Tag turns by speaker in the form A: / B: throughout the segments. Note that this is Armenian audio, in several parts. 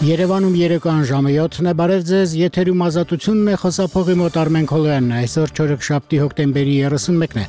A: Երևանում երեկոյան ժամը 7-ն է, բարև ձեզ, եթերում ազատությունն է, խոսափողի մոտ Արմեն Քոլոյանն է, այսօր չորեքշաբթի հոկտեմբերի 31-ն է։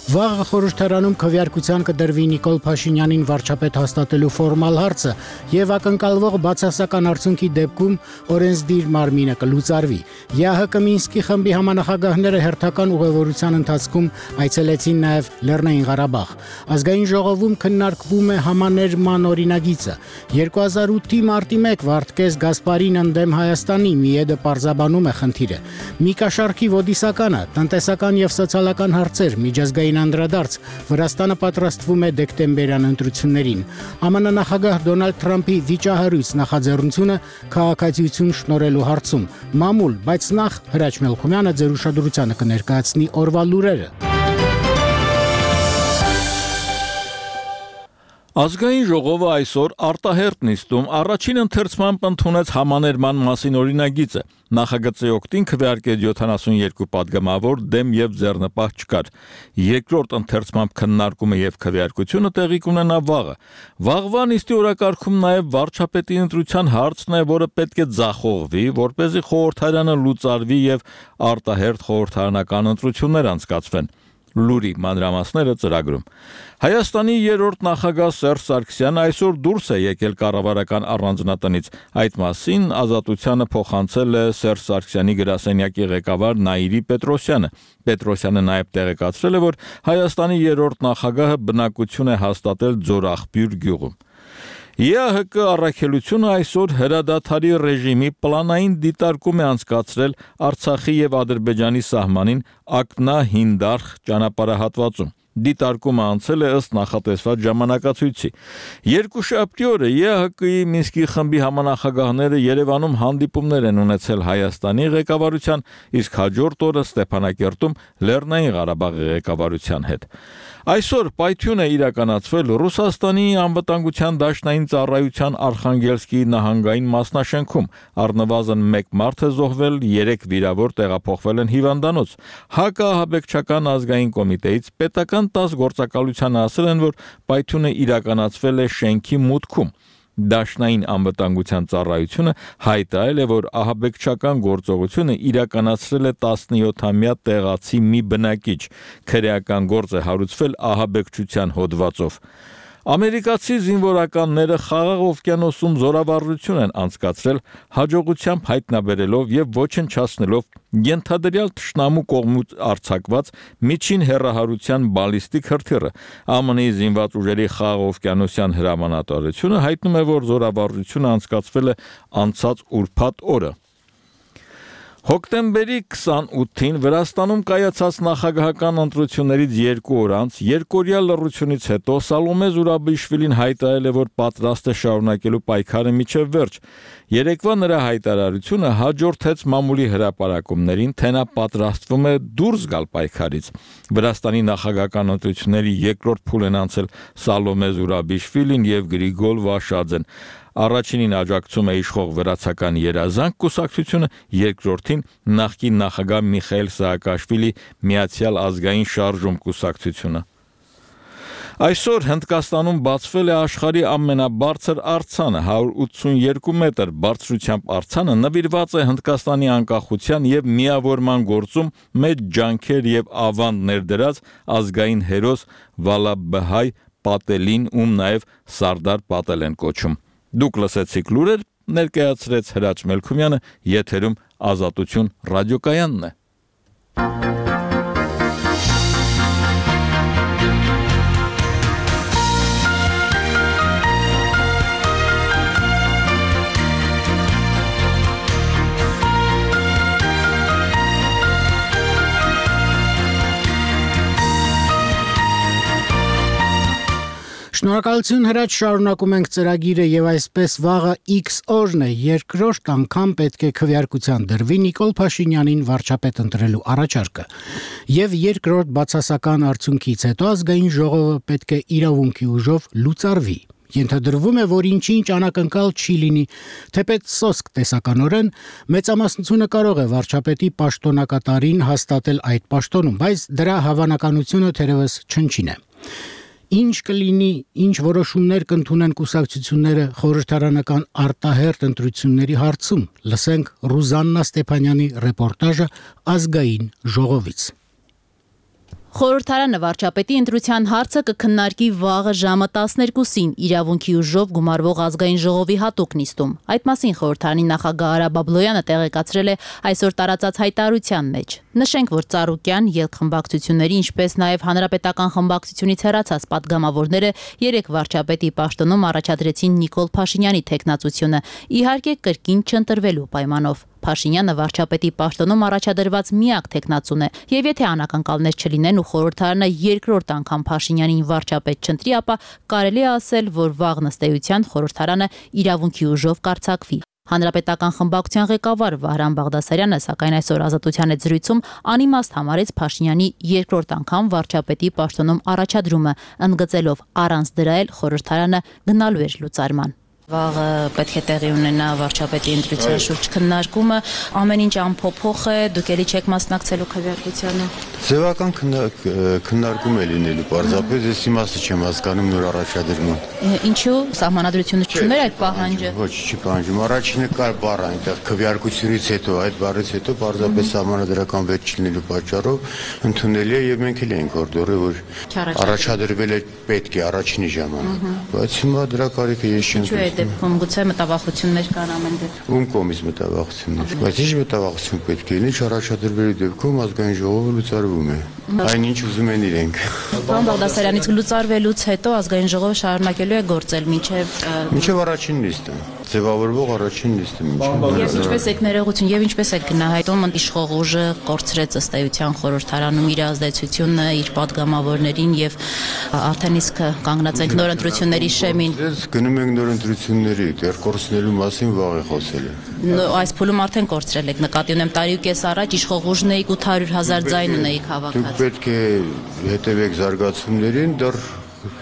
A: Վաղը խորհրդարանում քվեարկության կդրվի Նիկոլ Փաշինյանին վարչապետ հաստատելու ֆորմալ հարցը եւ ակնկալվող բացասական արդյունքի դեպքում օրենսդիր մարմինը կլուծարվի։ ԵԱՀԿ Մինսկի խմբի համանախագահները հերթական ուղևորության ընթացքում այցելեցին նաեւ Լեռնային Ղարաբաղ։ Ազգային ժողովում քննարկվում է համաներման օրինագիծը։ 2008-ի մարտի 1 Վարդգես Գասպարին ընդդեմ Հայաստանի Միեդը պարզաբանում է խնդիրը։ Միկաշարքի ոդիսականը, տնտեսական եւ սոցիալական հարցեր, միջազգային անդրադարձ, Վրաստանը պատրաստվում է դեկտեմբերյան ընտրություններին։ ԱՄՆ նախագահ Դոնալդ Թրամփի վիճահարույց նախաձեռնությունը քաղաքացիություն շնորհելու հարցում։ Մամուլ, բայց նախ Հրաչ Մելքումյանը ձեր ուշադրությանը կներկայացնի օրվա լուրերը։
B: Ազգային ժողովը այսօր արտահերթ նիստում առաջին ընթերցմամբ ընդունեց համաներման մասին օրինագիծը։ Նախագծի օգտին քվեարկեց 72 падգամավոր, դեմ եւ ձեռնպահ չկար։ Երկրորդ ընթերցմամբ քննարկումը եւ քվեարկությունը տեղի կունենա վաղը։ Վաղվա նիստի օրակարգում նաեւ վարչապետի ընտրության հարցն է, որը պետք է ձախողվի, որպեսզի խորհրդարանը լուծարվի եւ արտահերթ խորհրդարանական ընտրություններ անցկացվեն։ Լուրի մանրամասները ծրագրում։ Հայաստանի երրորդ նախագահ Սերժ Սարգսյանը այսօր դուրս է եկել կառավարական առանձնատնից։ Այդ մասին Ազատությանը փոխանցել է Սերժ Սարգսյանի գրասենյակի ղեկավար Նաիրի Պետրոսյանը։ Պետրոսյանը նաև տեղեկացրել է, որ Հայաստանի երրորդ նախագահը բնակություն է հաստատել Ձորախբյուր գյուղում։ ԵԱՀԿ առաքելությունը այսօր հրադադարի ռեժիմի պլանային դիտարկում է անցկացրել Արցախի եւ Ադրբեջանի սահմանին Ակնա-Հինդարխ ճանապարհահատվածում։ Դիտարկումը անցել է ըստ նախատեսված ժամանակացույցի։ Երկուշաբթի օրը ԵԱՀԿ-ի Մինսկի խմբի համանախագահները Երևանում հանդիպումներ են ունեցել Հայաստանի ղեկավարության, իսկ հաջորդ օրը Ստեփանակերտում Լեռնային Ղարաբաղի ղեկավարության հետ։ Այսօր պայթյուն է իրականացվել Ռուսաստանի անվտանգության դաշնային ծառայության Արխանգելսկի նահանգային մասնաշենքում։ Առնվազն 1 մարդ է զոհվել, 3 վիրավոր տեղափոխվել են հիվանդանոց։ Հակաահաբեկչական ազգային կոմիտեից պետական 10 գործակալությանը ասել են, որ պայթյունը իրականացվել է շենքի մուտքում։ Դաշնային անվտանգության ծառայությունը հայտարարել է, որ ահաբեկչական գործողությունը իրականացրել է 17-ամյա տեղացի մի բնակիչ։ Քրեական գործ է հարուցվել ահաբեկչության հոդվածով։ Ամերիկացի զինվորականները Խաղաղ օվկիանոսում զորավարժություն են անցկացրել, հաջողությամբ հայտնաբերելով եւ ոչնչացնելով ենթադրյալ թշնամու կողմից արձակված միջին հեռահարության բալիստիկ հրթիռը։ ԱՄՆ-ի զինված ուժերի Խաղաղ օվկիանոսյան հրամանատարությունը հայտնում է, որ զորավարժությունը անցկացվել է անցած ուրբաթ օրը։ Հոկտեմբերի 28-ին Վրաստանում կայացած նախագահական ընտրություններից 2 օր անց երկօրյա լռությունից հետո Սալոմե Զուրաբիշվիլին հայտարարել է, որ պատրաստ է շարունակելու պայքարը մինչև վերջ։ Երեկվա նրա հայտարարությունը հաջորդեց մամուլի հրապարակումներին, թե նա պատրաստվում է դուրս գալ պայքարից։ Վրաստանի նախագահական ընտրությունների երկրորդ փուլ են անցել Սալոմե Զուրաբիշվիլին եւ Գրիգոլ Վաշաձեն։ Առաջինին աջակցում է իշխող վրացական Երազանք կուսակցությունը, երկրորդին նախկին նախագահ Միխայել Սաակաշվիլի Միացյալ ազգային շարժում կուսակցությունը։ Այսօր Հնդկաստանում բացվել է աշխարհի ամենաբարձր արձանը 182 մետր բարձրությամբ արձանը նվիրված է Հնդկաստանի անկախության եւ միավորման գործում մեծ ջանքեր եւ ավանդ ներդրած ազգային հերոս Վալաբհայ Պատելին, ում նաեւ Սարդար Պատել են կոչում։ Դուք լսեցիք լուրեր, ներկայացրեց Հրաչ Մելքումյանը, եթերում Ազատություն ռադիոկայանն է։
A: Շնորհակալություն Հրաչ, շարունակում ենք ծրագիրը եւ այսպես վաղը X օրն է, երկրորդ անգամ պետք է քվեարկության դրվի Նիկոլ Փաշինյանին վարչապետ ընտրելու առաջարկը։ Եվ երկրորդ բացասական արդյունքից հետո ազգային ժողովը պետք է իրավունքի ուժով լուծարվի։ Ենթադրվում է, որ ինչ-ինչ անակնկալ չի լինի, թեպետ սոսկ տեսականորեն մեծամասնությունը կարող է վարչապետի պաշտոնակատարին հաստատել այդ պաշտոնում, բայց դրա հավանականությունը թերևս չնչին է։ Ինչ կլինի, ինչ որոշումներ կընդունեն կուսակցությունները խորհրդարանական արտահերթ ընտրությունների հարցում, լսենք Ռուզաննա Ստեփանյանի ռեպորտաժը ազգային ժողովից։
C: Խորհրդարանը վարչապետի ընտրության հարցը կքննարկի վաղը ժամը 12-ին իրավունքի ուժով գումարվող ազգային ժողովի հատուկ նիստում։ Այդ մասին խորհրդարանի նախագահ Արա Բաբլոյանը տեղեկացրել է այսօր տարածած հայտարարության մեջ։ Նշենք, որ Ծառուկյան, ելք-խմբակցությունների, ինչպես նաև հանրապետական խմբակցությունից հեռացած պատգամավորները երեք վարչապետի պաշտոնում առաջադրեցին Նիկոլ Փաշինյանի թեկնածությունը, իհարկե կրկին չընտրվելու պայմանով։ Փաշինյանը վարչապետի պաշտոնում առաջադրված միակ թեկնածուն է, եւ եթե անակնկալներ չլինեն ու խորհրդարանը երկրորդ անգամ Փաշինյանին վարչապետ չընտրի, ապա կարելի է ասել, որ վաղ նստեյության խորհրդարանը իրավունքի ուժով կարձակվի։ Հանրապետական խմբակցության ղեկավար Վահրամ Բաղդասարյանը սակայն այսօր Ազատության հետ զրույցում անիմաստ համարեց Փաշինյանի երկրորդ անգամ վարչապետի պաշտոնում առաջադրումը, ընդգծելով առանց դրա էլ խորհրդարանը գնալու էր լուծարման։ Վաղը պետք է տեղի ունենա վարչապետի ընտրության շուրջ քննարկումը, ամեն ինչ անփոփոխ է, դուք էլի չեք մասնակցելու քվեարկությանը։
D: Ձևական քննարկում է լինելու, պարզապես ես իմաստը չեմ հասկանում նոր առաջադրման։
C: Ինչու սահմանադրությունը չուներ այդ պահանջը։
D: Ոչ, չի պահանջում։ Առաջինը կար բառ այնտեղ քվեարկությունից հետո, այդ բառից հետո պարզապես սահմանադրական վեճ չլինելու պատճառով ընդունելի է եւ մենք էլ ենք օրդորել, որ առաջադրվել է պետք է առաջինի ժամանակ։ Բայց հիմա դրա կարիքը ես չեմ
C: զգում։ Դեպքում գուցե մտավախություններ կան ամեն դեպքում։
D: Ում կողմից մտավախություններ։ Բայց ինչ մտավախություն պետք է լինի, առաջադրվելու դեպքում ազգային ժողովը լուծարվում է։ Այնինչ ուզում են իրենք։
C: Պարոն Բաղդասարյանից լուծարվելուց հետո ազգային ժողովը շարունակելու է գործել
D: մինչև առաջին նիստը, ձևավորվող առաջին նիստը
C: Եվ ինչպես եք ներողություն, եւ ինչպես եք գնահատում իշխող ուժը կորցրեց ըստ էության խորհրդարանում իր ազդեցությունը, իր падգամավորներին եւ արդեն իսկ կանգնած ենք նոր ընտրությունների շեմին։
D: Գնում ենք նոր ընտրությունների, դեռ կորցնելու մասին վաղ է խոսել։
C: Այս փուլում արդեն կորցրել եք, նկատի ունեմ տարիուկես առաջ իշխող ուժն էիք 800,000 ձայն ունեիք հավաքած։
D: Դուք պետք է հետևեք զարգացումներին, դեռ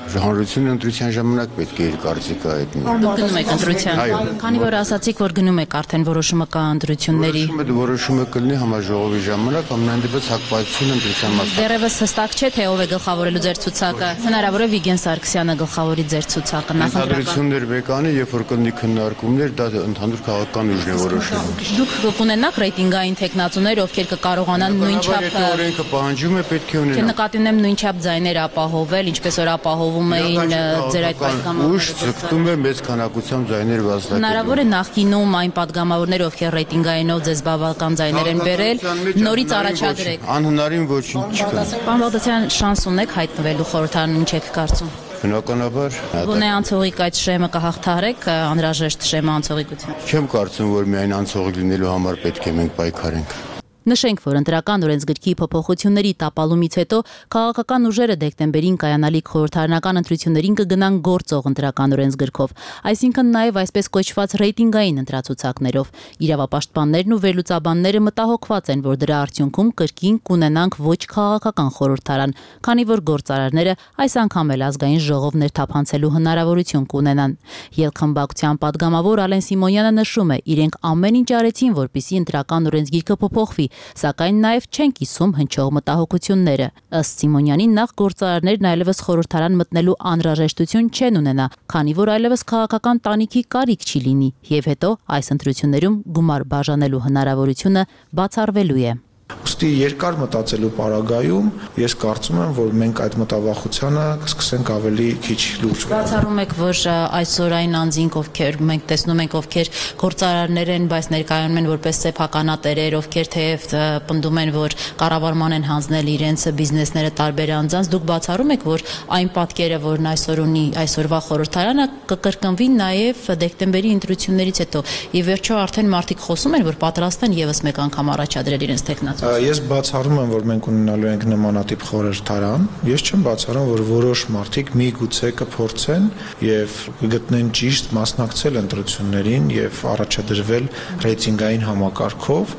D: հանրությունը ընտրության ժամանակ պետք է իր կարծիքը հայտնի։
C: Դուք գնում եք ընտրության։ Քանի որ ասացիք, որ գնում եք արդեն որոշումը կա ընտրությունների։
D: Որոշումը կլինի համաժողովի ժամանակ, ամենայն դեպս հակվածությունը ընտրության մասնակցության։
C: Դեռևս հստակ չէ, թե ով է գլխավորելու ձեր ցուցակը։ Հնարավոր է Վիգեն Սարգսյանը գլխավորի ձեր ցուցակը
D: նախընտրություններ վեկանի, երբ որ կլինի քննարկումներ, դա ընդհանուր քաղաքական ուժն է որոշում։
C: Դուք կունենաք ռեյտինգային թեկնածուներ, ովքեր կկարողանան նույնչափ
D: օրենքը պահանջում է, պետք է ունենան։
C: Նկատի ունեմ նույնչափ ձայներ ապահովել, ինչպես որ ապահովում էին ձեր այդ падգամավորները։
D: Ուժ ցկտում է մեծ քանակությամբ ձայներ վաստակել։
C: Հնարավոր է նախկինում այն падգամավորները, ովքեր ռեյտինգայինով ձեզ բավական ձայներ են բերել, նորից առաջադրեք։
D: Անհնարին ոչինչ չկա։
C: Պարոն Բաղդասարյան, շանս ունեք հայտնվելու խորհրդարանում, ինչ եք կարծում։
D: Բնականաբար
C: Գոնե անցողիկ այդ շեմը կհաղթահարեք, անհրաժեշտ շեմը անցողիկություն։
D: Չեմ կարծում, որ միայն անցողիկ լինելու համար պետք է մենք պայքարենք։
C: Նշենք, որ ընտրական օրենսգրքի փոփոխությունների տապալումից հետո քաղաքական ուժերը դեկտեմբերին կայանալիք խորհրդարանական ընտրություններին կգնան գործող ընտրական օրենսգրքով, այսինքն նաև այսպես կոչված ռեյտինգային ընտրացուցակներով։ Իրավապաշտպաններն ու վերլուծաբանները մտահոգված են, որ դրա արդյունքում կրկին կունենանք ոչ քաղաքական խորհրդարան, քանի որ գործարարները այս անգամ էլ ազգային ժողով ներթափանցելու հնարավորություն կունենան։ Ելք-խմբակցության падգամավոր Ալեն Սիմոնյանը նշում է, իրենք ամեն ինչ արեցին, որպեսզի ընտրական օրենսգիրքը փոփոխվի, սակայն նաև չեն կիսում հնչող մտահոգությունները։ Ըստ Սիմոնյանի, նախ գործարարներն այլևս խորհրդարան մտնելու անհրաժեշտություն չեն ունենա, քանի որ այլևս քաղաքական տանիքի կարիք չի լինի, եւ հետո այս ընտրություններում գումար բաժանելու հնարավորությունը բացառվելու է։
E: Ուստի երկար մտածելու պարագայում ես կարծում եմ, որ մենք այդ մտավախությանը կսկսենք ավելի քիչ լուրջ վերաբերել։
C: Բացառում եք, որ այսօր այն անձինք, ովքեր մենք տեսնում ենք, ովքեր գործարարներ են, բայց ներկայանում են որպես սեփականատերեր, ովքեր թեև պնդում են, որ կառավարման են հանձնել իրենց բիզնեսները տարբեր անձանց, դուք բացառում եք, որ այն պատկերը, որն այսօր ունի այսօրվա խորհրդարանը, կկրկնվի նաև դեկտեմբերի ընտրություններից հետո։ Ի վերջո արդեն մարդիկ խոսում են, որ պատրաստ են եւս մեկ անգամ առաջադրել իրենց տեխնացիան։
E: Ես բացառում եմ, որ մենք ունենալու ենք նմանատիպ խորհրդարան։ Ես չեմ բացառում, որ որոշ մարդիկ միգուցե կփորձեն եւ կգտնեն ճիշտ մասնակցել ընտրություններին եւ առաջադրվել ռեյտինգային համակարգով,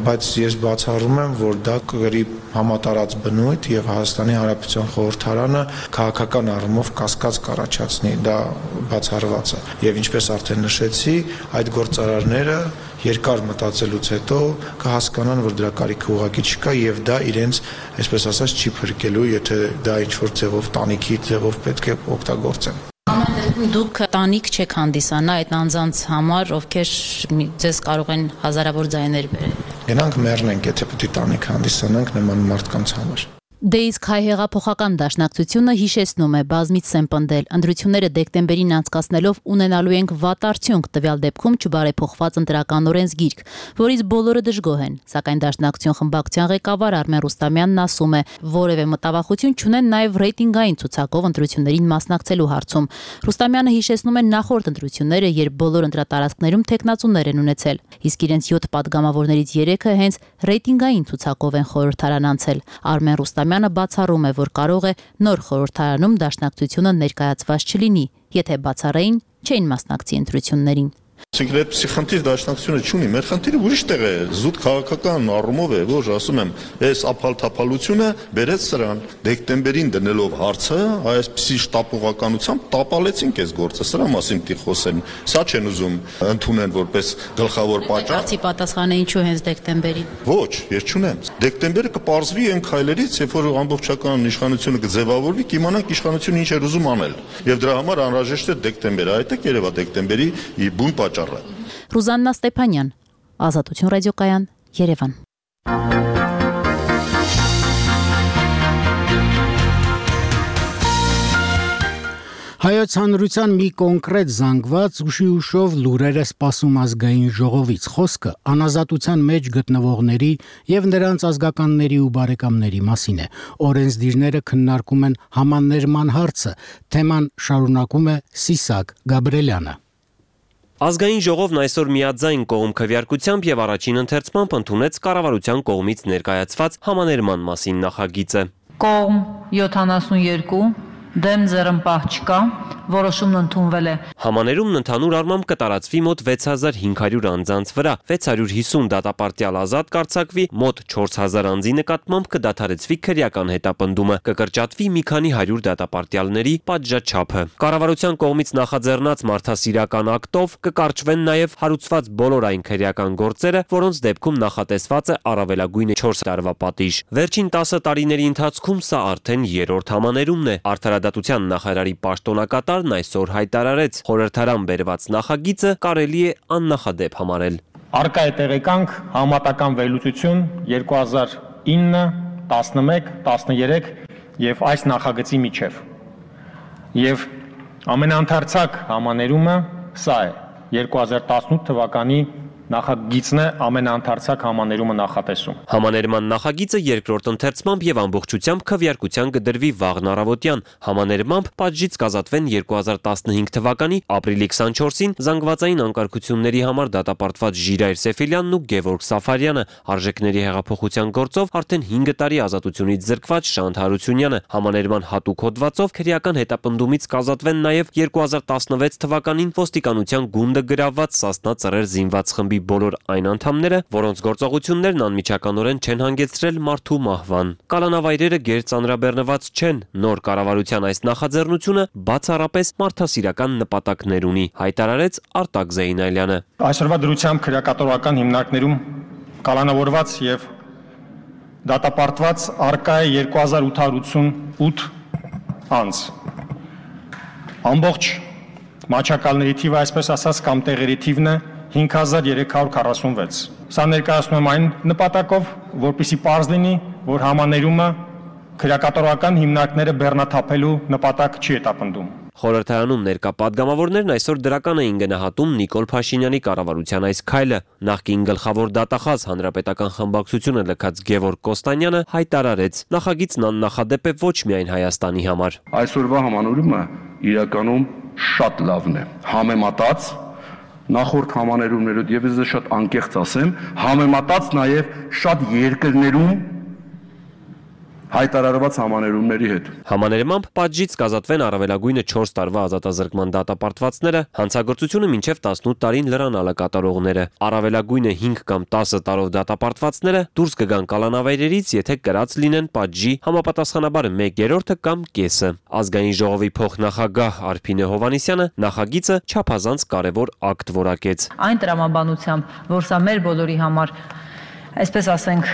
E: բայց ես բացառում եմ, որ դա կգրի համատարած բնույթ եւ Հայաստանի Հանրապետության խորհրդարանը քաղաքական առումով կասկած կառաջացնի, դա բացառված է։ Եվ ինչպես արդեն նշեցի, այդ գործարարները երկար մտածելուց հետո կհասկանան, որ դրա կարիքը ուղղակի չկա եւ դա իրենց, այսպես ասած, չի փրկելու, եթե դա ինչ-որ ձևով տանիքի ձևով պետք է օգտագործեն։
C: Դուք տանիք չեք հանդիսանա այդ անձանց համար, ովքեր ձեզ կարող են հազարավոր ձայներ բերել։
E: Գնանք մեռնենք, եթե պետք է տանիք հանդիսանանք նման մարդկանց համար։
C: Դե իսկ հայ հեղափոխական դաշնակցությունը հիշեցնում է բազմից են պնդել, ընտրությունները դեկտեմբերին անցկացնելով ունենալու ենք վատ արդյունք, տվյալ դեպքում չբարեփոխված ընտրական օրենսգիրք, որից բոլորը դժգոհ են, սակայն դաշնակցություն խմբակցության ղեկավար Արմեն Ռուստամյանն ասում է, որևէ մտավախություն չունեն նաև ռեյտինգային ցուցակով ընտրություններին մասնակցելու հարցում։ Ռուստամյանը հիշեցնում է նախորդ ընտրությունները, երբ բոլոր ընտրատարածքներում թեկնածուներ են ունեցել, իսկ իրենց 7 падգամավորներից 3-ը հենց ռեյտինգային ցուցակով են խորհրդարան անցել։ Արմեն Ռուստամյանը բացառում է, որ կարող է նոր խորհրդարանում դաշնակցությունը ներկայացված չլինի, եթե բացառային չէին մասնակցի ընտրություններին։
F: Այսինքն խնդիր դաշնակցությունը չունի, մեր խնդիրը ուրիշ տեղ է, զուտ քաղաքական առումով է, որ ասում եմ, այս ափալ-թափալությունը բերեց սրան, դեկտեմբերին դնելով հարցը, այսպիսի շտապողականությամբ տապալեցինք այս գործը, սրա մասին պիտի խոսեն, սա չեն ուզում ընդունեն որպես գլխավոր պատճառ։
C: Բացի պատասխանը ինչու հենց դեկտեմբերին։
F: Ոչ, ես չունեմ։ Դեկտեմբերը կպարզվի այն քայլերից, երբ որ ամբողջական իշխանությունը կձևավորվի, կիմանանք իշխանությունը ինչ էր ուզում անել։ Եվ դրա համար անհրաժեշտ է դեկտեմբերը, այդտեղ երևա դեկտեմբերի բուն պատճառը։
C: Ռուզաննա Ստեփանյան, Ազատություն ռադիոկայան, Երևան։
A: Հայոց հանրության մի կոնկրետ զանգված ուշով լուրերը սպասում ազգային ժողովից խոսքը անազատության մեջ գտնվողների եւ նրանց ազգականների ու բարեկամների մասին է։ Օրենսդիրները քննարկում են համաներման հարցը, թեման շարունակում է Սիսակ Գաբրելյանը։
G: Ազգային ժողովն այսօր միաձայն կողմ քվեարկությամբ եւ առաջին ընթերցմամբ ընդունեց կառավարության կողմից ներկայացված համաներման մասին նախագիծը։
H: Կողմ 72, դեմ ձեռնպահ չկա, որոշումն ընդունվել է։
G: Համաներումն ընդհանուր առմամբ կտարածվի մոտ 6500 անձանց վրա, 650 դատապարտյալ ազատ կարձակվի, մոտ 4000 անձի նկատմամբ կդադարեցվի քրեական հետապնդումը, կկրճատվի մի քանի 100 դատապարտյալների պատժաչափը։ Կառավարության կողմից նախաձեռնած մարդասիրական ակտով կկարճվեն նաև հարուցված բոլոր այն քրեական գործերը, որոնց դեպքում նախատեսված է առավելագույնը 4 տարվա պատիժ։ Վերջին 10 տարիների ընթացքում սա արդեն երրորդ համաներումն է։ Արդարադատության նախարարի պաշտոնակատար այսօր հայտարարեց, խորհրդարան բերված նախագիծը կարելի է աննախադեպ համարել։
I: Առկա է տեղեկանք համատական վերլուծություն 2009, 11, 13 եւ այս նախագծի միջև։ Եվ ամենաընթերցակ համաներումը սա է 2018 թվականի նախագիծն է ամենաընթերցակ համաներումը նախատեսում։
G: Համաներման նախագիծը երկրորդ ընթերցմամբ եւ ամբողջությամբ քվեարկության կդրվի վաղն առավոտյան։ Համաներմամբ պատժից կազատվեն 2015 թվականի ապրիլի 24-ին զանգվածային անկարգությունների համար դատապարտված Ժիրայր Սեֆիլյանն ու Գևորգ Սաֆարյանը, արժեքների հեղափոխության գործով արդեն 5 տարի ազատությունից զրկված Շանթ Հարությունյանը, համաներման հատուկ հոդվածով քրեական հետապնդումից կազատվեն նաեւ 2016 թվականին ոստիկանության գունդը գրաված Սասնա ծռեր զինված խմբի բոլոր այն անդամները, որոնց գործողություններն անմիջականորեն չեն հանգեցրել մարդու մահվան։ Կալանավայրերը գերծանրաբեռնված չեն, նոր կառավարության այս նախաձեռնությունը բացառապես մարդասիրական նպատակներ ունի, հայտարարեց Արտակ Զեյնալյանը։
I: Այսօրվա դրությամբ քրեակատորական հիմնարկներում կալանավորված եւ դատապարտված առկա է 2888 անձ։ Ամբողջ մաչակալների թիվը, այսպես ասած, կամ տեղերի թիվն է 5346։ Սա ներկայացնում եմ այն նպատակով, որպեսզի պարզ լինի, որ համաներումը քրեակատորական հիմնարկները բեռնաթափելու նպատակ չի հետապնդում։
G: Խորհրդարանում ներկա падգամավորներն այսօր դրական էին գնահատում Նիկոլ Փաշինյանի կառավարության այս քայլը։ Նախկին գլխավոր դատախազ Հանրապետական խմբակցությունը լքած Գևորգ Կոստանյանը հայտարարեց, նախագիծն աննախադեպ է ոչ միայն Հայաստանի համար։
J: Այսօրվա համանորումը իրականում շատ լավն է, համեմատած նախորդ համաներումներով եւ ես շատ անկեղծ ասեմ, համեմատած նաեւ շատ երկրներում հայտարարված համաներումների հետ։
G: Համաներմամբ պատժից կազատվեն առավելագույնը 4 տարվա ազատազրկման դատապարտվածները, հանցագործությունը մինչև 18 տարին լրանալը կատարողները, առավելագույնը 5 կամ 10 տարով դատապարտվածները դուրս կգան կալանավայրերից, եթե կրած լինեն պատժի համապատասխանաբար 1/3 կամ կեսը։ Ազգային ժողովի փոխնախագահ Արփինե Հովհաննիսյանը նախագիծը չափազանց կարևոր ակտ որակեց։
H: Այն տրամաբանությամբ, որ սա մեր բոլորի համար, այսպես ասենք,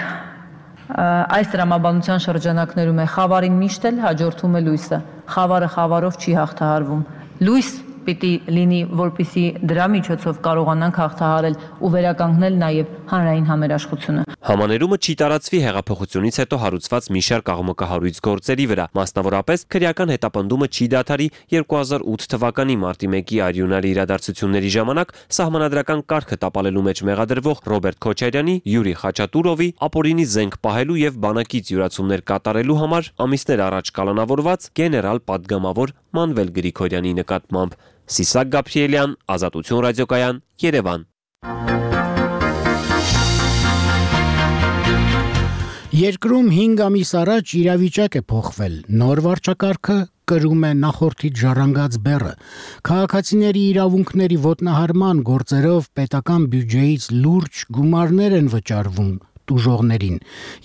H: այս տրամաբանության շրջանակներում է խավարին միշտ էլ հաջորդում է լույսը։ Խավարը խավարով չի հաղթահարվում։ Լույս պիտի լինի, որպեսզի դրա միջոցով կարողանանք հաղթահարել ու վերականգնել նաև հանրային համերաշխությունը։
G: Համաներումը չի տարածվի հեղափոխությունից հետո հարուցված մի շարք աղմկահարույց գործերի վրա, մասնավորապես քրեական հետապնդումը չի դադարի 2008 թվականի մարտի 1-ի արյունարի իրադարձությունների ժամանակ սահմանադրական կարգը տապալելու մեջ մեղադրվող Ռոբերտ Քոչարյանի, Յուրի Խաչատուրովի, ապօրինի զենք պահելու եւ բանակից յուրացումներ կատարելու համար ամիսներ առաջ կալանավորված գեներալ պատգամավոր Մանվել Գրիգորյանի նկատմամբ։ Սիսակ Գաբրիելյան, Ազատություն ռադիոկայան, Երևան։
A: Երկրում 5 ամիս առաջ իրավիճակ է փոխվել։ Նոր վարչակարգը կրում է նախորդից ժառանգած բեռը։ Քաղաքացիների իրավունքների ոտնահարման գործերով պետական բյուջեից լուրջ գումարներ են վճարվում տուժողներին,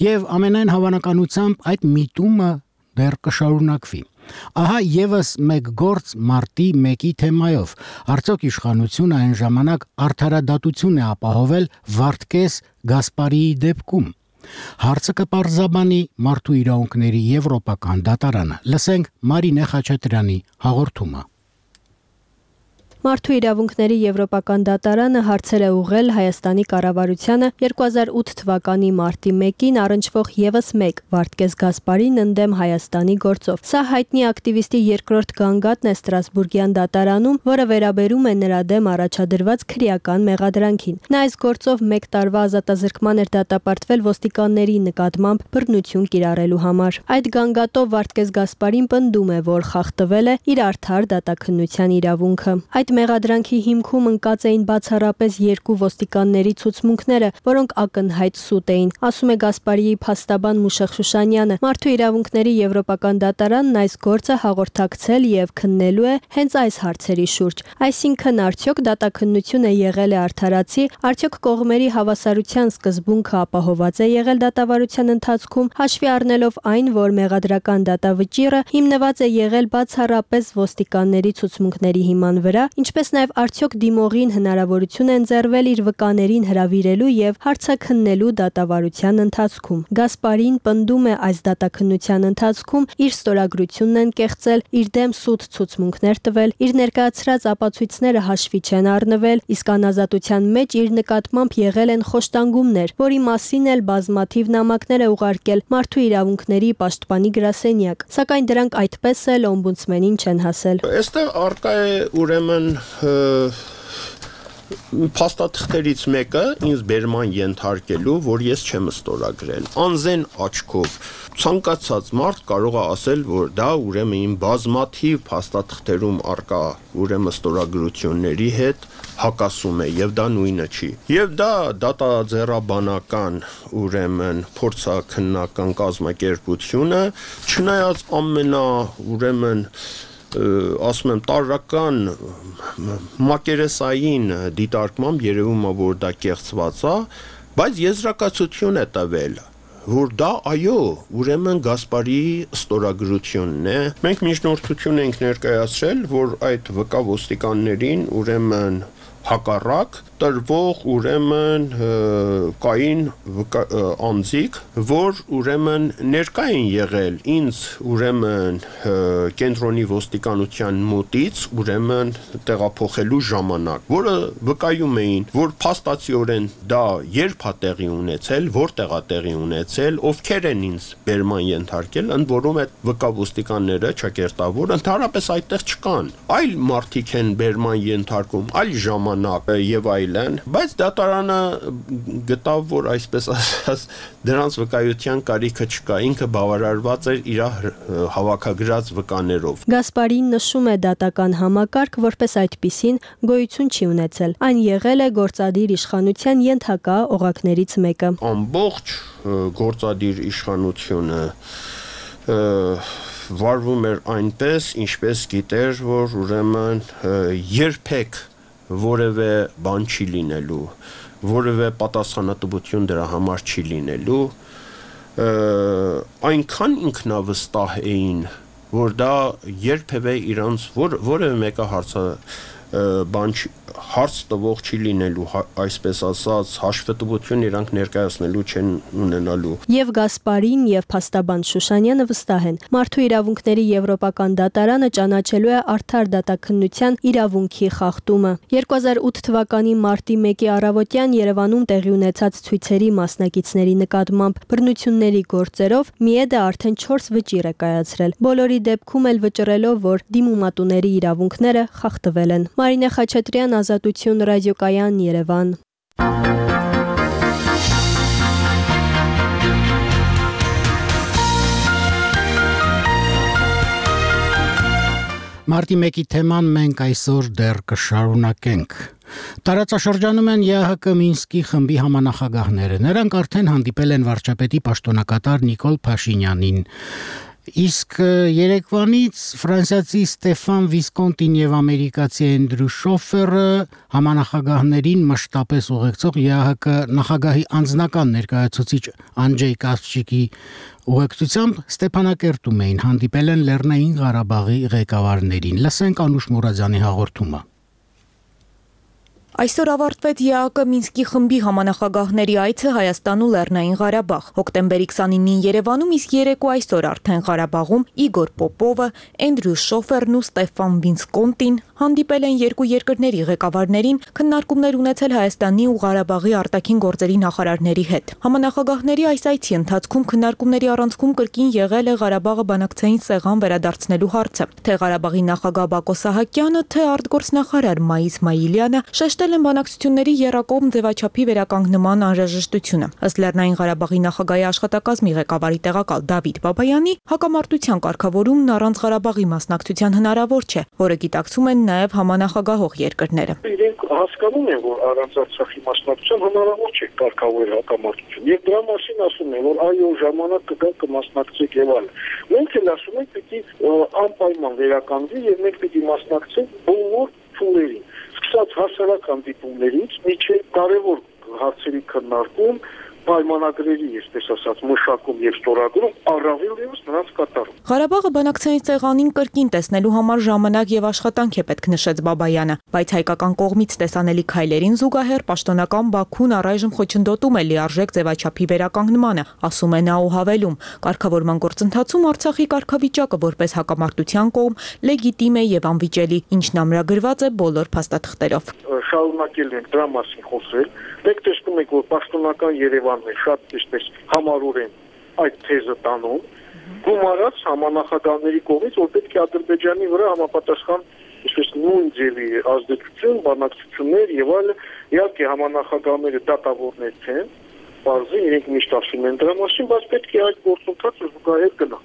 A: եւ ամենայն հավանականությամբ այդ միտումը դեռ կշարունակվի։ Ահա եւս մեկ գործ մարտի 1-ի թեմայով։ Արդյոք իշխանությունը այն ժամանակ արդարադատություն է ապահովել Վարդգես Գասպարիի դեպքում։ Հարցը կպարզաբանի Մարդու իրավունքների եվրոպական դատարանը։ Լսենք Մարինե Խաչատրյանի հաղորդումը։
K: Մարդու իրավունքների եվրոպական դատարանը հարցեր է ուղղել Հայաստանի կառավարությանը 2008 թվականի մարտի 1-ին առնչվող եւս մեկ Վարդգես Գասպարին ընդդեմ Հայաստանի գործով։ Սա հայտնի ակտիվիստի երկրորդ գանգատն է Ստրասբուրգյան դատարանում, որը վերաբերում է նրա դեմ առաջադրված քրեական մեղադրանքին։ Նա այս գործով 1 տարվա ազատազրկման էր դատապարտվել ոստիկանների նկատմամբ բռնություն կիրառելու համար։ Այդ գանգատով Վարդգես Գասպարին պնդում է, որ խախտվել է իր արդար դատաքննության իրավունքը։ Այդ մեղադրանքի հիմքում ընկած էին բացառապես 2 ոստիկանների ցուցմունքները, որոնք ակնհայտ սուտ էին, ասում է Գասպարիի փաստաբան Մուշեղ Շուշանյանը։ Մարդու իրավունքների եվրոպական դատարանն այս գործը հաղորդակցել եւ քննելու է հենց այս հարցերի շուրջ։ Այսինքն արդյոք դատաքննությունը եղել է արդարացի, արդյոք կողմերի հավասարության սկզբունքը ապահոված է եղել դատավարության ընթացքում, հաշվի առնելով այն, որ մեղադրական դատավճիռը հիմնված է եղել բացառապես ոստիկանների ցուցմունքների հիման վրա, ինչպես նաև արդյոք դիմողին հնարավորություն են ընձեռվել իր վկաներին հրավիրելու եւ հարցաքննելու դատավարության ընթացքում։ Գասպարին պնդում է այս դատաքննության ընթացքում իր ստորագրությունն են կեղծել, իր դեմ սուտ ցուցմունքներ տվել, իր ներկայացրած ապացույցները հաշվի չեն առնվել, իսկ անազատության մեջ իր նկատմամբ եղել են խոշտանգումներ, որի մասին էլ բազմաթիվ նամակներ է ուղարկել Մարդու իրավունքների պաշտպանի գրասենյակ, սակայն դրանք այդպես էլ օմբուդսմենին չեն հասել։
L: Այստեղ արկա է ուրեմն փաստաթղթերից մեկը ինձ բերման ենթարկելու, որ ես չեմ ստորագրել։ Անզեն աչքով ցանկացած մարդ կարող է ասել, որ դա ուրեմն իմ բազմաթիվ փաստաթղթերում արկա ուրեմն ստորագրությունների հետ հակասում է եւ դա նույնը չի։ Եվ դա դատաձեռաբանական ուրեմն փորձաքննական կազմակերպությունը, չնայած ուրեմն ասում եմ տարրական մակերեսային դիտարկմամբ երևում է, որ դա կեղծված է, բայց եզրակացություն է տվել, որ դա այո, ուրեմն Գասպարիի ստորագրությունն է։ Մենք միջնորդություն ենք ներկայացրել, որ այդ վկա ոստիկաններին ուրեմն հակառակ տրվող ուրեմն կային անձիկ, որ ուրեմն ներկա են եղել ինձ ուրեմն կենտրոնի ոստիկանության մոտից ուրեմն տեղափոխելու ժամանակ, որը վկայում էին, որ փաստացիորեն դա երբ է տեղի ունեցել, որտեղ է տեղի ունեցել, ովքեր են ինձ բերման ենթարկել, ընդ որում այդ վկա ոստիկանները ճակերտավոր ընդհանրապես այդտեղ չկան, այլ մարդիկ են բերման ենթարկում, այլ ժամանակ ժամանակ եւ այլն, բայց դատարանը գտավ, որ այսպես ասած դրանց վկայության կարիքը չկա, ինքը բավարարված էր իր հավաքագրած վկաներով։
K: Գասպարին նշում է դատական համակարգ, որպես այդպիսին գոյություն չի ունեցել։ Այն եղել է գործադիր իշխանության ենթակա օղակներից մեկը։
L: Ամբողջ գործադիր իշխանությունը վարվում էր այնպես, ինչպես գիտեր, որ ուրեմն երբեք որևէ բան չի լինելու, որևէ պատասխանատվություն դրա համար չի լինելու, այնքան ինքնավստահ էին, որ դա երբևէ իրանց որևէ մեկը հարց տվող չի լինելու, այսպես ասած, հաշվետվություն իրանք ներկայացնելու չեն ունենալու։
K: Եվ Գասպարին եւ փաստաբան Շուշանյանը վստահ են, մարդու իրավունքների եվրոպական դատարանը ճանաչելու է արդար դատաքննության իրավունքի խախտումը։ 2008 թվականի մարտի 1-ի առավոտյան Երևանում տեղի ունեցած ցույցերի մասնակիցների նկատմամբ բռնությունների գործերով ՄԻԵԴ-ը արդեն 4 վճիռ է կայացրել։ Բոլորի դեպքում էլ վճռելով, որ դիմումատուների իրավունքները խախտվել են։ Մարինե Խաչատրյան, Ազատություն ռադիոկայան, Երևան։
A: Մարտի 1-ի թեման մենք այսօր դեռ կշարունակենք։ Տարածաշրջանում են ԵԱՀԿ Մինսկի խմբի համանախագահները։ Նրանք արդեն հանդիպել են վարչապետի պաշտոնակատար Նիկոլ Փաշինյանին։ Իսկ երեկվանից ֆրանսիացի Ստեֆան Վիսկոնտին եւ ամերիկացի Էնդրյու Շոֆերը համանախագահներին մշտապես ուղեկցող ԵԱՀԿ նախագահի անձնական ներկայացուցիչ Անջեյ Կասչիկի ուղեկցությամբ Ստեփանակերտում էին, հանդիպել են Լեռնային Ղարաբաղի ղեկավարներին։ Լսենք Անուշ Մուրադյանի հաղորդումը։
M: Այսօր ավարտվեց ԵԱՀԿ Մինսկի խմբի համանախագահների այցը Հայաստան ու Լեռնային Ղարաբաղ։ Հոկտեմբերի 29-ին Երևանում, իսկ երեկո այսօր արդեն Ղարաբաղում Իգոր Պոպովը, Էնդրյու Շոֆերն ու Ստեֆան Վիսկոնտին հանդիպել են երկու երկրների ղեկավարներին, քննարկումներ ունեցել Հայաստանի ու Ղարաբաղի արտաքին գործերի նախարարների հետ։ Համանախագահների այս այցի ընթացքում քննարկումների առանցքում կրկին եղել է Ղարաբաղը բանակցային սեղան վերադարձնելու հարցը։ Թե Ղարաբաղի նախագահ Բակո Սահակյանը, թե արտգործնախարար Մայիս Մայիլյանը շեշտել են բանակցությունների եռակողմ ձևաչափի վերականգնման անհրաժեշտությունը։ Ըստ Լեռնային Ղարաբաղի նախագահի աշխատակազմի ղեկավարի տեղակալ Դավիթ Բաբայանի, հակամարտության կարգավորումն առանց Ղարաբաղի մասնակցության հնարավոր չէ, որը գիտակցում են նաև համանախագահող երկրները։
N: Իրենք հասկանում են, որ առանց Արցախի մասնակցության հնարավոր չէ կարգավորել հակամարտություն։ Եվ դրա մասին ասում են, որ այո, ժամանակ կգա կմասնակցեք եւ այլն։ Մենք էլ ասում ենք, պիտի անպայման վերականգնվի եւ մենք պիտի մասնակցենք բոլոր փուլերին։ Սկսած հասարակական դիպումներից մինչև կարևոր հարցերի քննարկում, պայմանագրերի, այսպես ասած, մշակում եւ ստորագրում, առավել ևս նրանց կատարում։
M: Ղարաբաղը բանակցային սեղանին կրկին տեսնելու համար ժամանակ եւ աշխատանք է պետք, նշեց Բաբայանը, բայց հայկական կողմից տեսանելի քայլերին զուգահեռ պաշտոնական Բաքուն առայժմ խոչընդոտում է լիարժեք ձևաչափի վերականգնմանը, ասում է նա ու հավելում. կարգավորման գործընթացում Արցախի կարգավիճակը որպես հակամարտության կողմ լեգիտիմ է եւ անվիճելի, ինչն ամրագրված է բոլոր փաստաթղթերով։
N: Շարունակել ենք դրա մասին խոսել։ Մենք տեսնում ենք, որ պաշտոնական Երևանն է շատ այսպես համառորեն այդ թեզը տանում, գումարած համանախագահների կողմից, որ պետք է Ադրբեջանի վրա համապատասխան այսպես նույն ձևի ազդեցություն, բանակցություններ եւ այլն, իհարկե համանախագահները դատավորներ չեն, բարձր իրենք միշտ ասում են դրա մասին, բայց պետք է այդ գործընթացը զուգահեռ գնա։